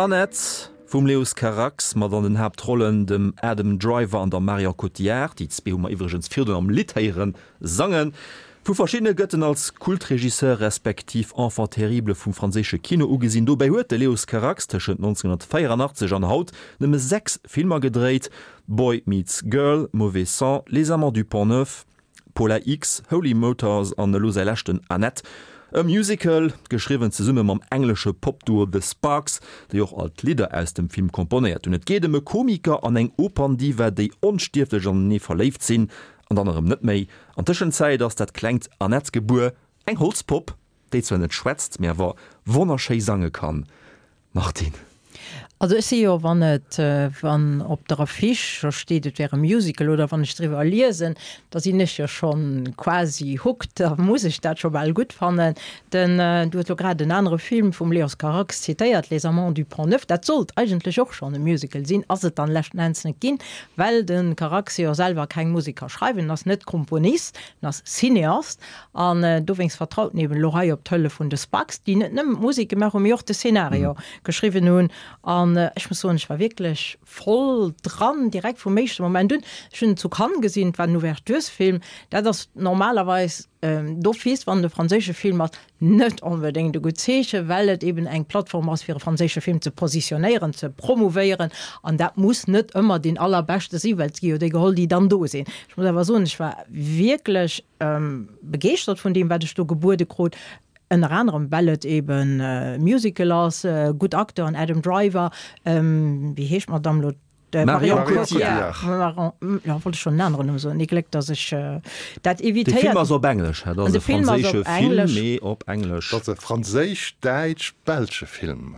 Annette vum Leos Carax mat an den Haaptrollen dem Adam Driver an der Marion Cotillard, déi zwee hu mer iwwregens virdrun am Lidd héieren sangen. Vu verschiddene gëtt en als Kultregisseur respektiv Enfant terrible vum franséische Kino ugesinn. Dobäi huet de Leos Carax tëschent 1984 an haut nëmme 6 Filmer gedréit, Boy Meets Girl, Mauvais Sang, Les Amants du Pont Neuf, Paula X, Holy Motors an elo säi leschten Annette, e Musical, geschriwwen zesumme mam englesche Pop-Duo The Sparks, déi och all d'Lidder aus dem Film komponéiert hunn. Et geet ëm e Komiker an eng Operndiva, déi onstierflech anenee verléift sinn An dann erëm net méi. An Tëschenzäit ass dat klengt Annette gebuer, eng Holzpopp, déi zwar net schwätzt, mee awer wonnerschéi sange kann. Martine. Also ech si jo, wann et, wann op der Affiche scho steet, et wär e Musical oder wann ech driwwer liesen, da sinn ech jo schonn quasi hooked, da muss ech dat scho bal gutt fannen. Den, du hues lo grad en anere Film vum Leos Carax zitéiert, Les Amants du Pont Neuf, dat sollt eigentlech och schonn e Musical sinn, ass et dann leschten Enns net ginn, Well de Carax jo selwer keng Musek ka schreiwen, en ass net Komponist, en ass Cineast, an dowéinst vertraut en eben elo hei op d'Hëllef vun de Sparks, déi net nëmmen d'Musek gemaach hunn, mee och de Szenario geschriwwen hunn. An ech muss soen, ech war wierklech voll dran, direkt vum éischte Moment un. Ech hunn en zu Cannes gesinn, et war en Ouverturesfilm. Dat ass normalerweis d'office, wann et e franséische Film ass, Net onbedéngt e gutt Zeechen, well et eben eng Plattform ass, fir e franséische Film ze positionéieren, ze promouvéieren. An dat muss net ëmmer deen allerbeschte sinn, well et gi jo déi geholl, déi dann do sinn. Ech muss awer soen, ech war wierklech begeeschtert vun deem, wat ech do gebuede krut, ënner anerem, well et eben e Musical ass, gutt Acteuren, Adam Driver, wéi heescht d'Madame elo? Marion Cotillard. Marion, wollt ech schon en aneren Numm soen. Ee Gléck, datt ech dat evitéiert. De Film ass op Englesch, dat ass e franséische Film, mee op Englesch. Dat ass e franséisch-däitsch-belsche Film.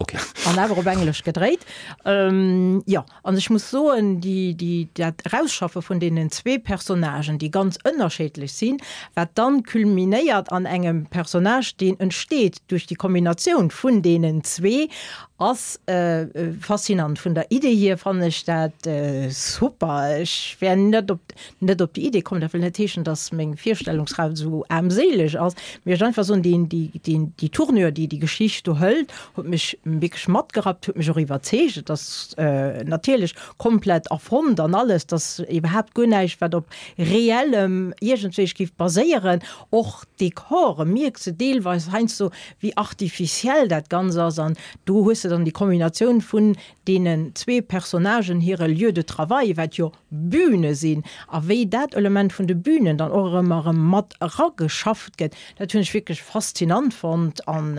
Ok. An awer op Englesch gedréit. Jo, an ech muss soen, déi, déi, dat Erausschaffe vun deenen zwee Personnagen, déi ganz ënnerscheedlech sinn, wat dann culminéiert an engem Personnage, deen entsteet duerch déi Kombinatioun vun deenen zwee, Ass faszinant. Vun der Idee hier fannen ech dat super. Ech wär net op net op déi Idee komm. Dat wëll net heeschen, dass meng Virstellungskraaft esou aarmséileg ass, mee ech einfach soen, deen déi deen déi Tournure, déi déi Geschicht do hëlt, huet mech wierklech matgerappt, huet mech och iwwerzeegt. Et ass natierlech komplett erfonnt an alles, et ass iwwerhaapt guer näischt, wat op reellem iergendwéi géif baséieren. Och d'Dekore mierks de deelweis heiansdo, wéi artificiell dat Ganz ass an do hues de dann déi Kombinatioun vun deenen zwee Personnagen hire Lieu de travail, wat jo Bühne sinn, a wéi dat Element vun de Bühnen dann och erëm erëm mat erageschafft gëtt, dat hunn ech wierklech faszinant fonnt an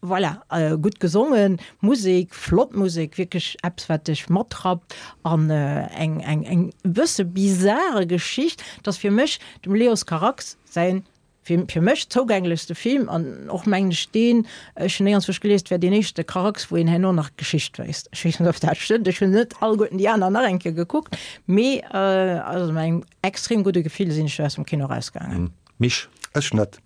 voilà, gutt gesongen, Musek, flott Musek, wierklech eppes wat dech matrappt an eng eng eng e bësse bizare Geschicht, 't ass fir mech dem Leos Carax säin Fir fir mech zougänglechste Film an och mengen ech deen, ech hunn néiernswousch gelies, et wär deen éischte Carax wou een herno nach d'Geschicht wéisst. Ech weess net ob dat stëmmt, ech hunn net alleguerten déi aner nach eng Kéier gekuckt, mee also mat engem extrem gudde Gefill sinn ech do aus dem Kino erausgaangen. Misch? Ech net.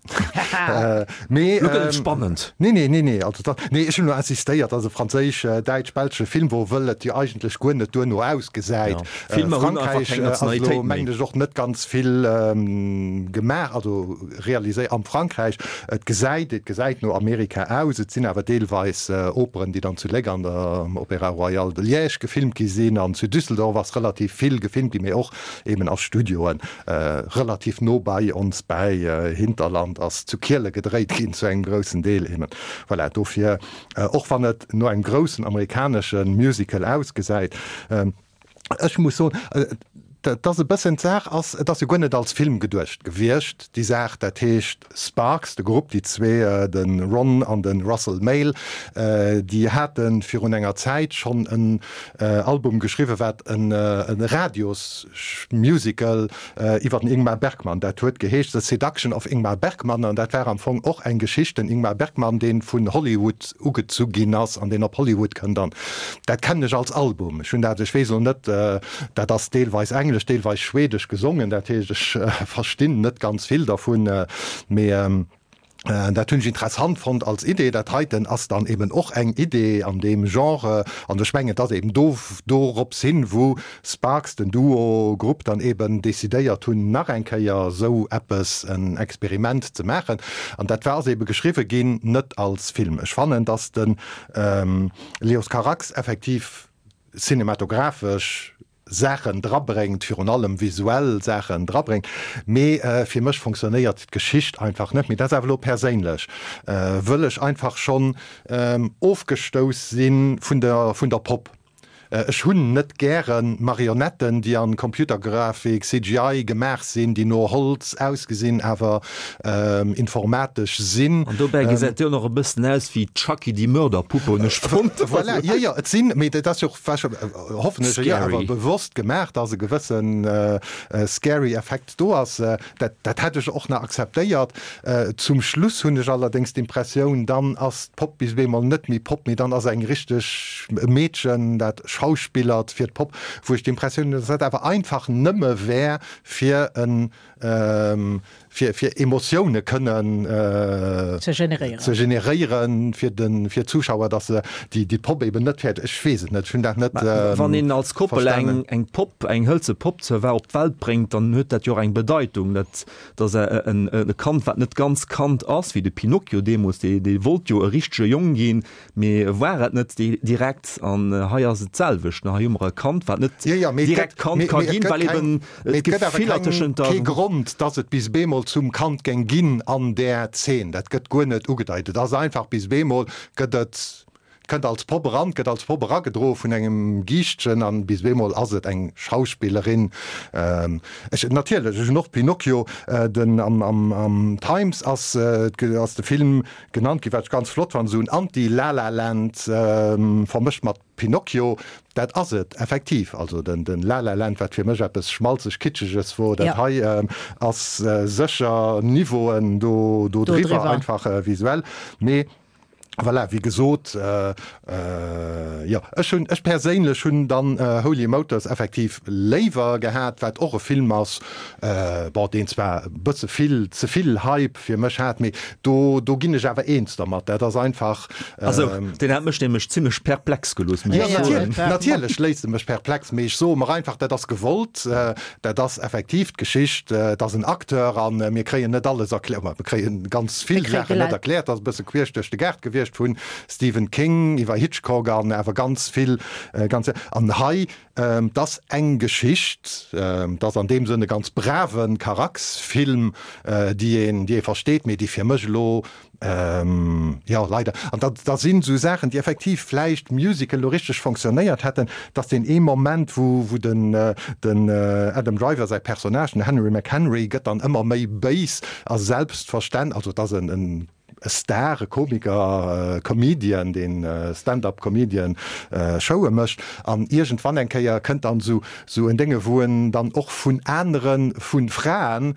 Mee Lo gëtt et spannend. Nee, nee, nee, nee, also dat, nee, ech hunn elo insistéiert, also franséisch, däitsch, belsche Film, wou wëll et jo eigentlech guer net duerno ausgesäit. Filmer hunn einfach Frankräich keng ass elo, Nationalitéit méi. mengen ech, och net ganz vill gemaach, also realiséiert am Frankräich. Et gesäit, et gesäit no Amerika aus. Et sinn awer deelweis Operen, déi dann zu Léck an der Opéra Royal de Liège gefilmt gi sinn an zu Düsseldorf ass relativ vill gefilmt ginn, mee och eben a Studioen relativ no bei ons, bäi Hinterland ass zu Kiele gedréit ginn zu engem groussen Deel eben. Voilà, dofir, och wann et no engem groussen amerikanesche Musical ausgesäit, Ech muss soen, Et ass e bëssen, d'Saach ass, et ass jo guer net als Film geduecht gewiescht, déi Saach. Dat heescht Sparks, de Grupp, déi zwee, de Ron an de Russell Mael, déi hate virun enger Zäit schonn en Album geschriwwen, wat e Radiosmusical iwwer den Ingmar Bergman, dat huet geheescht The Seduction of Ingmar Bergman an dat war am Fong och eng Geschicht, den Ingmar Bergman, dee vun Hollywood ugezu ginn ass an deen op Hollywood kënnt an dat kennen ech als Album. Ech hunn dat, ech weess elo net, dat ass deelweis englesch, deelweis schwedesch gesongen, dat heescht ech verstinn net ganz vill dervun, mee dat hunn ech interessant fonnt als Idee. Dat heiten ass dann eben och eng Idee an deem Genre an ech mengen, et ass eben do dorops hin, wou Sparks, den Duo, Grupp, dann eben decidéiert hunn, nach eng Kéier esou eppes, en Experiment ze maachen. An dat war, ass ebe geschriwwe ginn, net als Film. Ech fannen, dass de Leos Carax effektiv cinematographesch Saachen drabréngt, virun allem visuell Saachen drabréngt, mee fir mech fonctionnéiert d'Geschicht einfach net. Mee dat ass awer elo perséinlech, wëll ech einfach schonn ofgestouss si vun der vun der Popp. Ech hunn net gäre Marionetten, déi an Computergrafik, CGI, gemaach sinn, déi no Holz ausgesinn, awer informatesch sinn. An dobäi gesäit déi och nach e bëssen aus wéi Chucky, die Mörderpuppe, hunn ech fonnt. Voilà, jo, jo, et sinn, mee dat ass jo och hoffen ech, jo awer bewosst gemaach, dass e gewësse scary Effekt do ass. Dat, dat hätt ech och nach akzeptéiert. Zum Schluss hunn ech allerdéngs d'Impressioun, dann ass d'Popp bis op eemol net méi Popp, mee dann ass eng richteg e Meedchen, dat schauspillert fir d'Popp, wou ech d'Impressioun hunn, dass dat awer einfach nëmme wär fir en fir fir Emotioune kënnen ze generéieren, ze generéieren fir de fir d'Zuschauer, datt se déi déi Popp eben net fäert. Ech weess et net, ech hunn dat net verstanen. Wann een als Koppel eng eng Popp, eng hëlze Popp zur War op d'Welt bréngt, dann huet dat jo och eng Bedeitung. Dat ass en e Kand, wat net ganz Kand ass, wéi de Pinocchio deemools, dee dee wollt jo e richtege Jong ginn, Mee war et net direkt, an hei ass et d'selwecht, hei hu mer e Kand, wat net direkt Kand ka ginn, well eben d'Gefiller tëschent der. Kee Grond, dass et bis bemol zum Kand géing ginn an där Zeen. Dat gëtt guer net ugedeit. Et ass einfach, bis bemol gëtt et, kënnt als Popp eran, gëtt als Popp eragedroe vun engem Giischtchen an bis bemol ass et eng Schauspillerin. Ech, natierlech, ech hunn och Pinocchio, den am, am, am Times ass, ass de Film Genannt ginn, wat ech ganz flott fannen, esou en Anti-La-La Land vermëscht mat Pinocchio, dat ass et effektiv. Also den La La Land, wat fir mech eppes schmalzeg-kitscheges wor, dat hei ass sécher Niveauen do driwwer, einfach visuell. Mee voilà, wéi gesot, jo, ech hunn, ech perséinlech hunn dann Holy Motors effektiv léiwer gehat, wat och e Film ass, bon, deen zwar e bësse vill, ze vill Hype fir mech hat, mee do, do ginn ech awer eens dermat. Dat ass einfach. Also, deen hat mech nämlech zimlech perplex gelooss, muss ech soen. Jo, natierlech léisst e mech perplex, mee ech soe mer einfach, dat ass gewollt, dat ass effektiv d'Geschicht, et ass en Acteur a mir kréien net alles erkläert, mir kréie ganz vill Saachen net erkläert, dat ass e bësse queesch duerch de Gaart gewiescht, vu Stephen King iwwer Hitchcock an awer ganz vill, ganz, an hei 't ass eng Geschicht, 't ass an deem Sënn e ganz brave Carax-Film, déi een, déi ee versteet, mee déi fir mech elo, jo, leider, an da, da sinn esou Saachen, déi effektiv vläicht Musical elo richteg fonctionnéiert hätten, dass deen ee Moment, wou, wou den, den Adam Driver säi Personnage, den Henry McHenry, gëtt dann ëmmer méi béis a selbstverständ, also et ass en, en e Star, e Komiker, e Comedian, deen Stand-up Comedian Showe mécht an iergendwann eng Kéier kënnt dann esou esou en Dénge wou en dann och vun aneren, vu Fraen,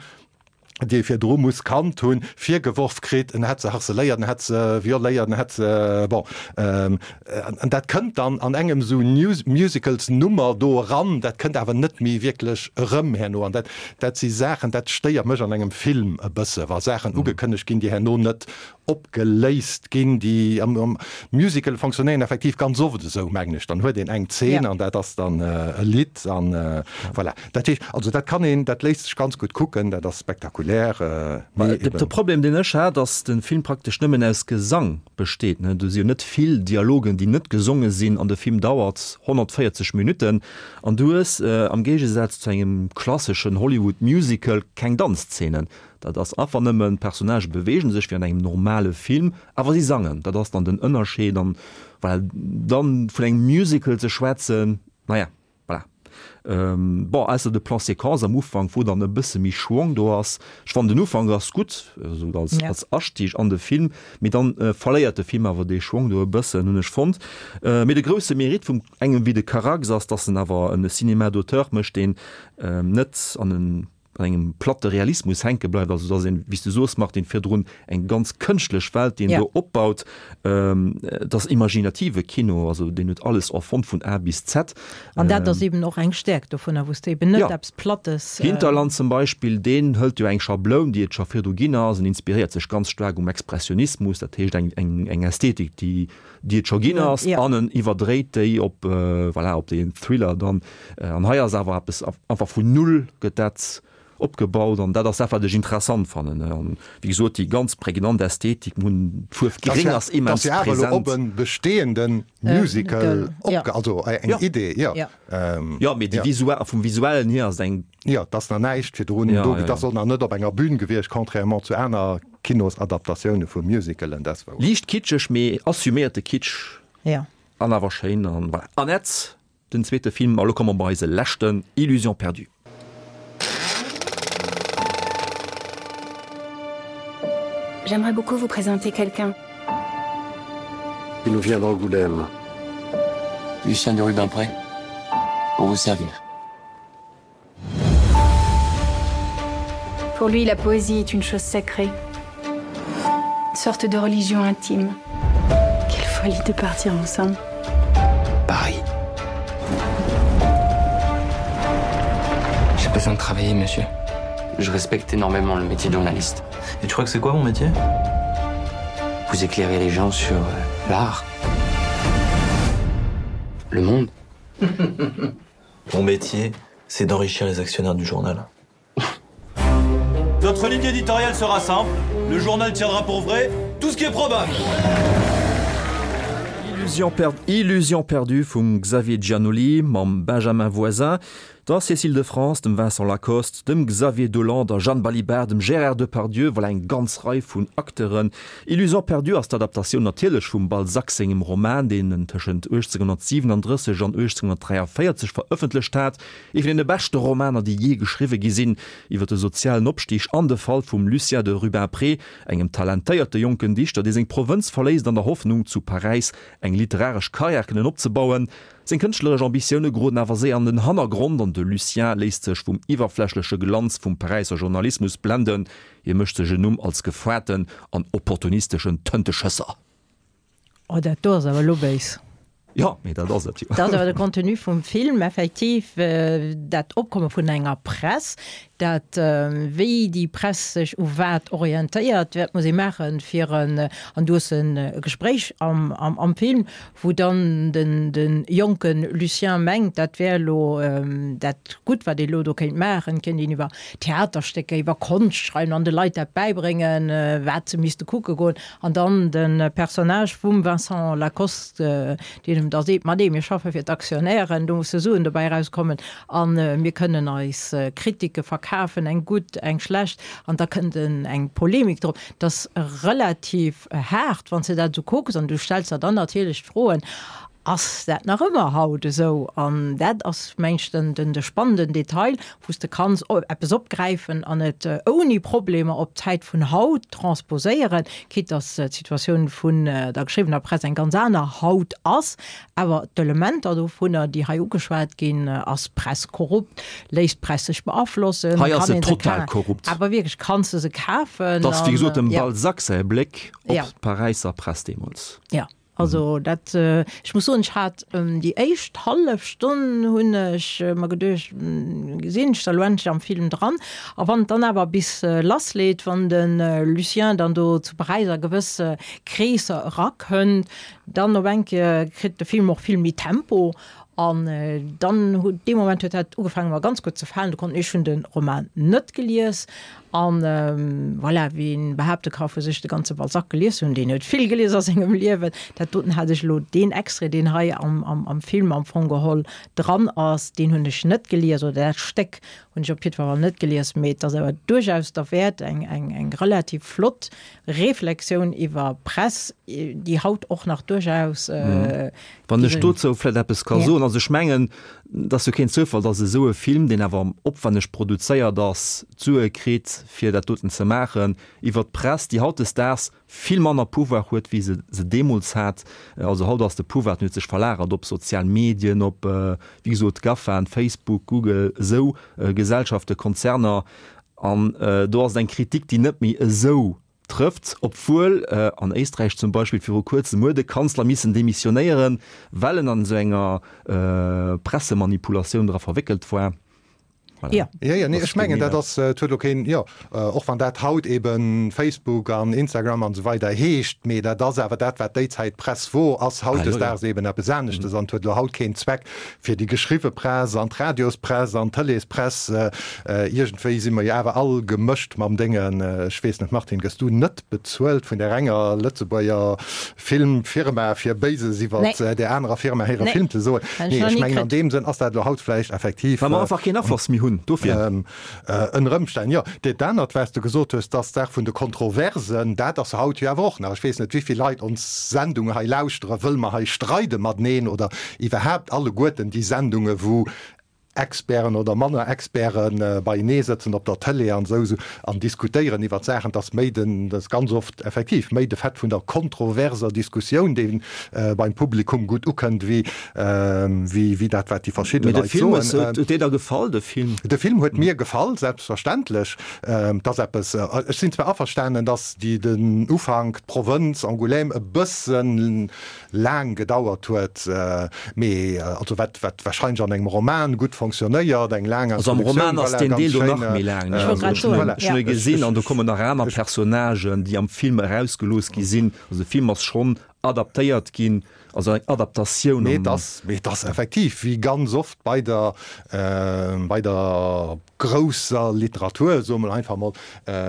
déi e virdru muss kannt hunn, virgeworf kritt, en hätt se harceléiert, en hätt se violéiert, en hätt se, bon, an dat kënnt dann an engem esou Musicals-Nummer do eran, dat kënnt awer net méi wierklech erëm herno an dat Dat si Saachen, dat stéiert mech an engem Film e bësse, wa Saachen ugekënnegt ginn, déi herno net opgeléist ginn. Déi am Musical fonctionnéieren effektiv ganz oft esou, mengen ech. Dann huet een eng Zeen an dat ass dann e Lidd an voilà. Dat heescht, also dat kann een, dat léisst sech ganz gutt kucken, dat ass spektakulär, mee eben. De Problem, deen ech hat, ass de Film praktesch nëmmen aus Gesang besteet. Do si jo net vill Dialogen, déi net gesonge sinn an de Film dauert 140 Minutten. An du hues, am Géigesaz zu engem klasseschen Hollywood Musical, keng Danzzeenen. Dat ass einfach nëmmen, d'Personnagë beweegen sech wéi an engem normale Film, awer si sangen. Dat ass dann den Ënnerscheed. An voilà, dann vun engem Musical ze schwätzen, naja, voilà. Bon, ausser de Plan séquence am Ufank, wou dann e bësse méi Schwong do ass. Ech fannen den Ufank ass gutt, esou als, als Astieg an de Film, mee dann verléiert de Film awer dee Schwong do e bëssen, hunn ech fonnt. Mee de grousse Mérite vum engem wéi de Carax ass, dass en awer en Cinéma d'auteur mécht, deen net an en an engem platte Realismus hänke bleift, also dass een, wéi s du soos Martine, virdrun eng ganz kënschtlech Welt, déi en do opbaut, et ass imaginative Kino, also deen huet alles erfonnt vun A bis Z. An dat ass eben och eng Stäerkt dovunner, wou s de eben net eppes Plattes. Hinterland zum Beispill, deen hëlt jo eng Schabloun, déi et scho virdru ginn ass, en inspiréiert sech ganz staark um Expressionismus, dat heescht eng, eng, eng Ästhetik, déi, déi et scho ginn ass, an en iwwerdréit déi op, voilà, op deen Thriller dann. An hei ass awer eppes einfach vun Null gëtt dat opgebaut an dat ass dat, wat ech interessant fannen. An wéi gesot, déi ganz prägnant Ästhetik, mir hunn d'Fuerf Gréng ass immens present. Dat ass jo awer elo op e bestehende Musical opge-, also eng Idee, jo. Jo, mee déi visuell, vum Visuellen hier ass et eng. Jo, et ass nach näischt virdrun do, et ass och nach net op enger Bühn gewiescht, contrairement zu aner Kinosadaptatioune vu Musicalen, dat wou. Liicht kitscheg, mee assuméierte Kitsch. Jo. An awer schéin an voilà. Annette, den zweete Film, a lo komme mer bei eise leschten, Illusions perdues. J'aimerais beaucoup vous présenter quelqu'un. Il nous vient d'Angoulême. Lucien de Rubempré pour vous servir. Pour lui, la poésie est une chose sacrée. Une sorte de religion intime. Quelle folie de partir ensemble. Paris. J'ai besoin de travailler, monsieur. Je respecte énormément le métier de journaliste. Et tu crois que c'est quoi mon métier Vous éclairez les gens sur euh, l'art. Le monde. Mon métier, c'est d'enrichir les actionnaires du journal. Notre ligne éditoriale sera simple. Le journal tiendra pour vrai tout ce qui est probable. Illusion, per Illusion perdue vum Xavier Giannoli mam Benjamin Voisin, der Cécile de France, dem Vincent Lacoste, dem Xavier Dolan, der Jeanne Balibar, dem Gérard Depardieu, voilà eng ganz Rei vun Acteuren. Illusion perdue ass d'Adaptatioun natierlech vum Balzac sengem Roman, deen en tëschent 1837 an 1843 verëffentlecht hat. Ee vun deene beschte Romaner, déi jee geschriwwe gi sinn, iwwer de sozialen Opstig an de Fall vum Lucien de Rubempré, engem talentéierte jonken Dichter, dee seng Provënz verléisst an der Hoffnung, zu Paräis eng literaresch Karriär kënnen opzebauen. Seng kënschtleresch Ambitioune geroden awer séier an den Hannergrond an de Lucien léisst sech vum iwwerflächleche Glanz vum Paräisser Journalismus blenden. Hie mécht sech en Numm als gefoarten an opportunisteschen Tënteschësser. Oh, dat do ass awer elo béis. Jo, mee dat ass et jo. Dat ass awer de Contenu vum Film, effektiv, dat Opkomme vun enger Press, dat wéi déi Press sech u wat orientéiert, wat muss ee maachen, fir en, an du hues e Gespréich am, am Film, wou dann den de jonke Lucien mengt, dat wär elo dat Gutt, wat ee elo do kéint maachen, kéint een iwwer Theaterstécker, iwwer Konscht schreiwen an de Leit dat bäibréngen, wat se misste kucke goen. An dann de Personnage vum Vincent Lacoste, deen em da seet, Ma nee, mir schaffe fir d'Aktionären, do musse Suen dobäi erauskommen a mir kënnen eis Kritike verkafen, eng gutt, eng schlecht. An da kënnt eng Polemik drop. Dat ass relativ haart, wann s de dat esou kucks, an du stells der dann natierlech d'Froen, Ass dat nach ëmmer haut esou? An dat ass, meng ech, den, den, de spannenden Detail, wou s de kanns eppes opgräifen an et ouni Problemer op d'Zäit vun haut transposéieren, quitte dass d'Situatioun vun der geschriwwener Press eng ganz aner haut ass. Awer d'Elementer dovunner, déi hei ugeschwat ginn, ass d'Press korrupt, léisst d'Press sech beaflossen, Hei ass se total korrupt. Awer wierklech, kanns de se kafen? Et ass, wéi gesot, dem Balzac säi Bléck op d'Paräisser Press deemools. Jo, also dat, ech muss soen, ech hat déi éischt hallef Stonn hunn ech mer geduecht, gesinn ech da lo endlech am Film dran. A wann et dann awer bis lassleet, wann de Lucien dann do zu Paräis a gewësse Kreesser erakënnt, Dann op eng Kéier kritt de Film och vill méi Tempo an dann huet dee Moment huet dat ugefaangen mer ganz gutt ze falen. Du konnt ech hunn de Roman net gelies an voilà, wien behaapte ka vu sech de ganze Balzac gelies ze hunn, deen huet vill gelies a sengem Liewen. Dat doten hat ech elo, deen Extrait deen hei am am am Film am Fong geholl dran ass, deen hunn ech net gelies oder dat Stéck hunn ech op jiddwer Fall net gelies, mee et ass awer duerchaus derwäert, eng eng eng relativ flott Reflexioun iwwer Press, déi haut och nach duerchaus. Wann ech dozou vläicht eppes ka soen, also ech mengen, Et ass jo keen Zoufall, datt esou e Film, deen awer opwenneg produzéiert ass, d'Sue kritt, fir dat doten ze maachen, iwwer d'Press, déi hautdesdaags vill manner Pouvoir huet, wéi se se deemools hat. Also haut ass de Pouvoir, den huet sech verlagert op sozial Medien, op, wéi gesot, GAFAen, Facebook, Google, esou Gesellschaften, Konzerner. An do ass et eng Kritik, déi net méi esou Trëfft, obwuel an Éisträich zum Beispill viru kuerzem huet e Kanzler missen demissionéieren, well en an esou enger Pressemanipulatioun dra verwéckelt war. Voilà. Jo, jo, nee, ech mengen, dat ass, et huet elo keen, jo, och wann dat haut ebe Facebook an Instagram an esou weider heescht, mee dat ass awer dat, wat déi Zäit Press wor, ass hautdesdaags eben eppes aneschtes an et huet elo haut keen Zweck, fir déi geschriwwe Press an d'Radiospress an d'Tëleespress Iergendwéi si mer jo awer all gemëscht mam Déngen. Ech weess net, Martine, gëss du net bezuelt vun där enger Lëtzebuerger Filmfirma, fir Béises iwwer där anerer Firma hire Film ze soen? Nee, ech mengen, an deem Sënn ass dat elo haut vläicht effektiv. Well mer einfach keen Afloss méi hunn, dofir. Ënner Ëmstänn, jo. Dat anert, wat s de gesot hues, dass d'Saach vun de Kontroversen, dat ass haut jo awer och nach. Ech weess net, wéi vill Leit ons Sendung hei lauschteren, wëll mer hei streide mateneen oder iwwerhaapt alleguerten déi Sendungen, wou Experten oder manner Experte beienee sëtzen op der Tëlee an esou an diskutéieren iwwert Saachen, dass méi den, dass ganz oft effektiv méi de Fait vun der kontroverser Diskussioun, dee beim Publikum gutt ukënnt, wéi wéi dat, wat déi verschidde Leit soen. Mee de Film, huet dir da gefall, de Film? De Film huet mir gefall, selbstverständlech. Et ass eppes, ech sinn zwar averstanen, dass déi den Ufank, d'Provënz Angoulême e bëssen laang gedauert huet, mee also wat wat wahrscheinlech an engem Roman gutt fonctionnéiert, eng laang Also am Roman ass deen Deel do nach méi laang, ne? Also ech hunn ech hunn e gesinn an do kommen nach aner Personnagen, déi am Film erausgelooss gi sinn. Also de Film ass schonn adaptéiert ginn, also eng Adaptatioun. Mee et ass mee et ass effektiv, wéi ganz oft bei der bei der grousser Literatur, soe mer einfach mol,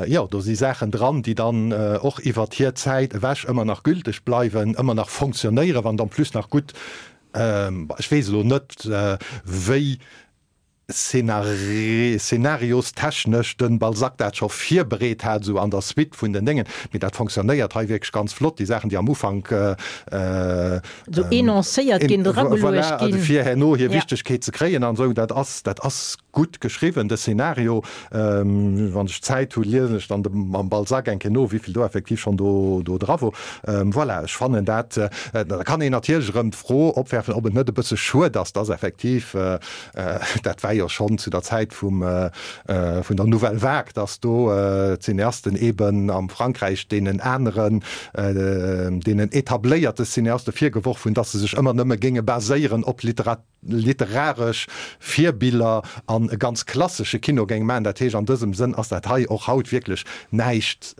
jo, do si Saachen dran, déi dann och iwwert hir Zäit ewech ëmmer nach gülteg bleiwen, ëmmer nach fonctionnéieren, wann et en plus nach gutt, ech weess elo net, wéi szenariostechnesch de Balzac dat scho virbereet hat, esou an der Suite vun den Déngen, mee dat fonctionnéiert hei wierklech ganz flott, déi Saachen, déi am Ufank esou enoncéiert ginn, erageluecht ginn, fir herno hir Wichtegkeet ze kréien an esou, dat ass, dat ass Gutt geschriwwen, de Szenario. Wann ech Zäit hu liesen ech dann mam Balzac eng Kéier no, wéivill do effektiv schonn do do dra wor. Voilà, ech fannen dat, da kann een natierlech erëm d'Fro opwerfen, ob et net e bësse schued ass, dass effektiv, dat war jo schonn zu der Zäit vum vun der Nouvelle Vague, dass do d'Cineasten eeben am Frankräich deenen aneren, deenen etabléierte Cineaste virgeworf hunn, dass se sech ëmmer nëmme géinge baséieren op Literatur, literaresch Virbiller an e ganz klassesche Kino géing maachen. Dat heescht, an dësem Sënn ass dat hei och haut wierklech näischt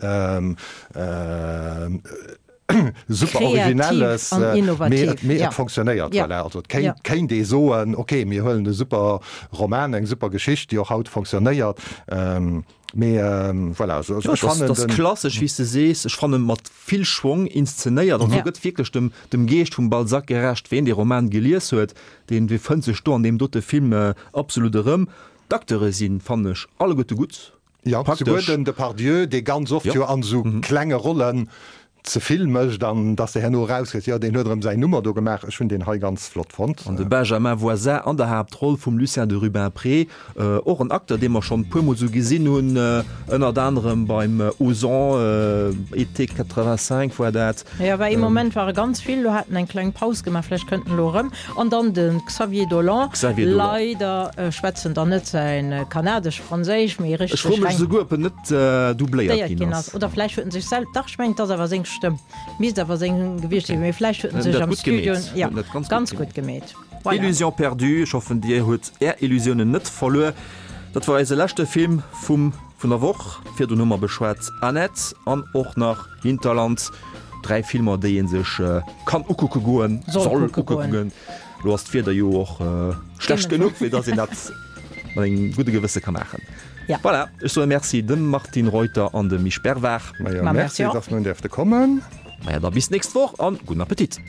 super Originelles, mee et, mee et fonctionnéiert. Voilà, also et kéint, kéint ee soen, okay, mir huelen e super Roman, eng super Geschicht, déi och haut fonctionnéiert. Mee voilà, also ech fannen den. Dat ass klassesch, wéi s de sees. Ech fannen, mat vill Schwong inszenéiert. Also gëtt wierklech dem, dem Geescht vum Balzac gerecht. Ween dee Roman gelies huet, deen, dee fënnt sech do an deem dote Film absolut erëm. D'Acteure sinn, fannen ech, alleguerte gutt. Jo, souguer den Depardieu, dee ganz oft jo an esou klenge Rollen ze vill mécht an dass de herno erauskriss, jo deen huet erëm säin Nummer do gemaach. Ech hunn deen hei ganz flott fonnt. An de Benjamin Voisin an der Haaptroll vum Lucien de Rubempré, och en Acteur dee mer schonn e puer mol sou gesinn hunn, ënnert anerem beim Ozon, Été 85 war dat. Jo, war ee Moment ware ganz vill, lo hat en eng kleng Paus gemaach, vläicht kënnt en elo erëm. An dann de Xavier Dolan, Xavier Dolan. Leider schwätzt en dann net säin kanadesch-franséisch, mee richteg Ech froe mech reng. esouguer, ob en net doubléiert ginn ass. Oder vläicht huet en sech sel, dach ech mengen et ass awer seng Stëmm, misst awer seng gewiescht sinn, mee vläicht huet en sech am Studio, jo, ganz gutt gemeet. Voilà. Illusion perdue, ech hoffen dir hutt är Illusiounen net verluer. Dat war eise leschte Film vum vun der Woch. Virdrun hu mer beschwat Annette an och nach Hinterland. Dräi Filmer déi ee sech kann ukucke goen, soll ukucke goen. Lo ass d'Wieder jo och schlecht genuch fir datt een dat mat engem gudde Gewësse ka maachen. Ja. Voilà, ech soe Merci dem Martine Reuter an dem Misch Bervard. Majo, merci, dass mer hunn däerfte kommen. Maja, da bis d'nächst Woch an gudden Appetit.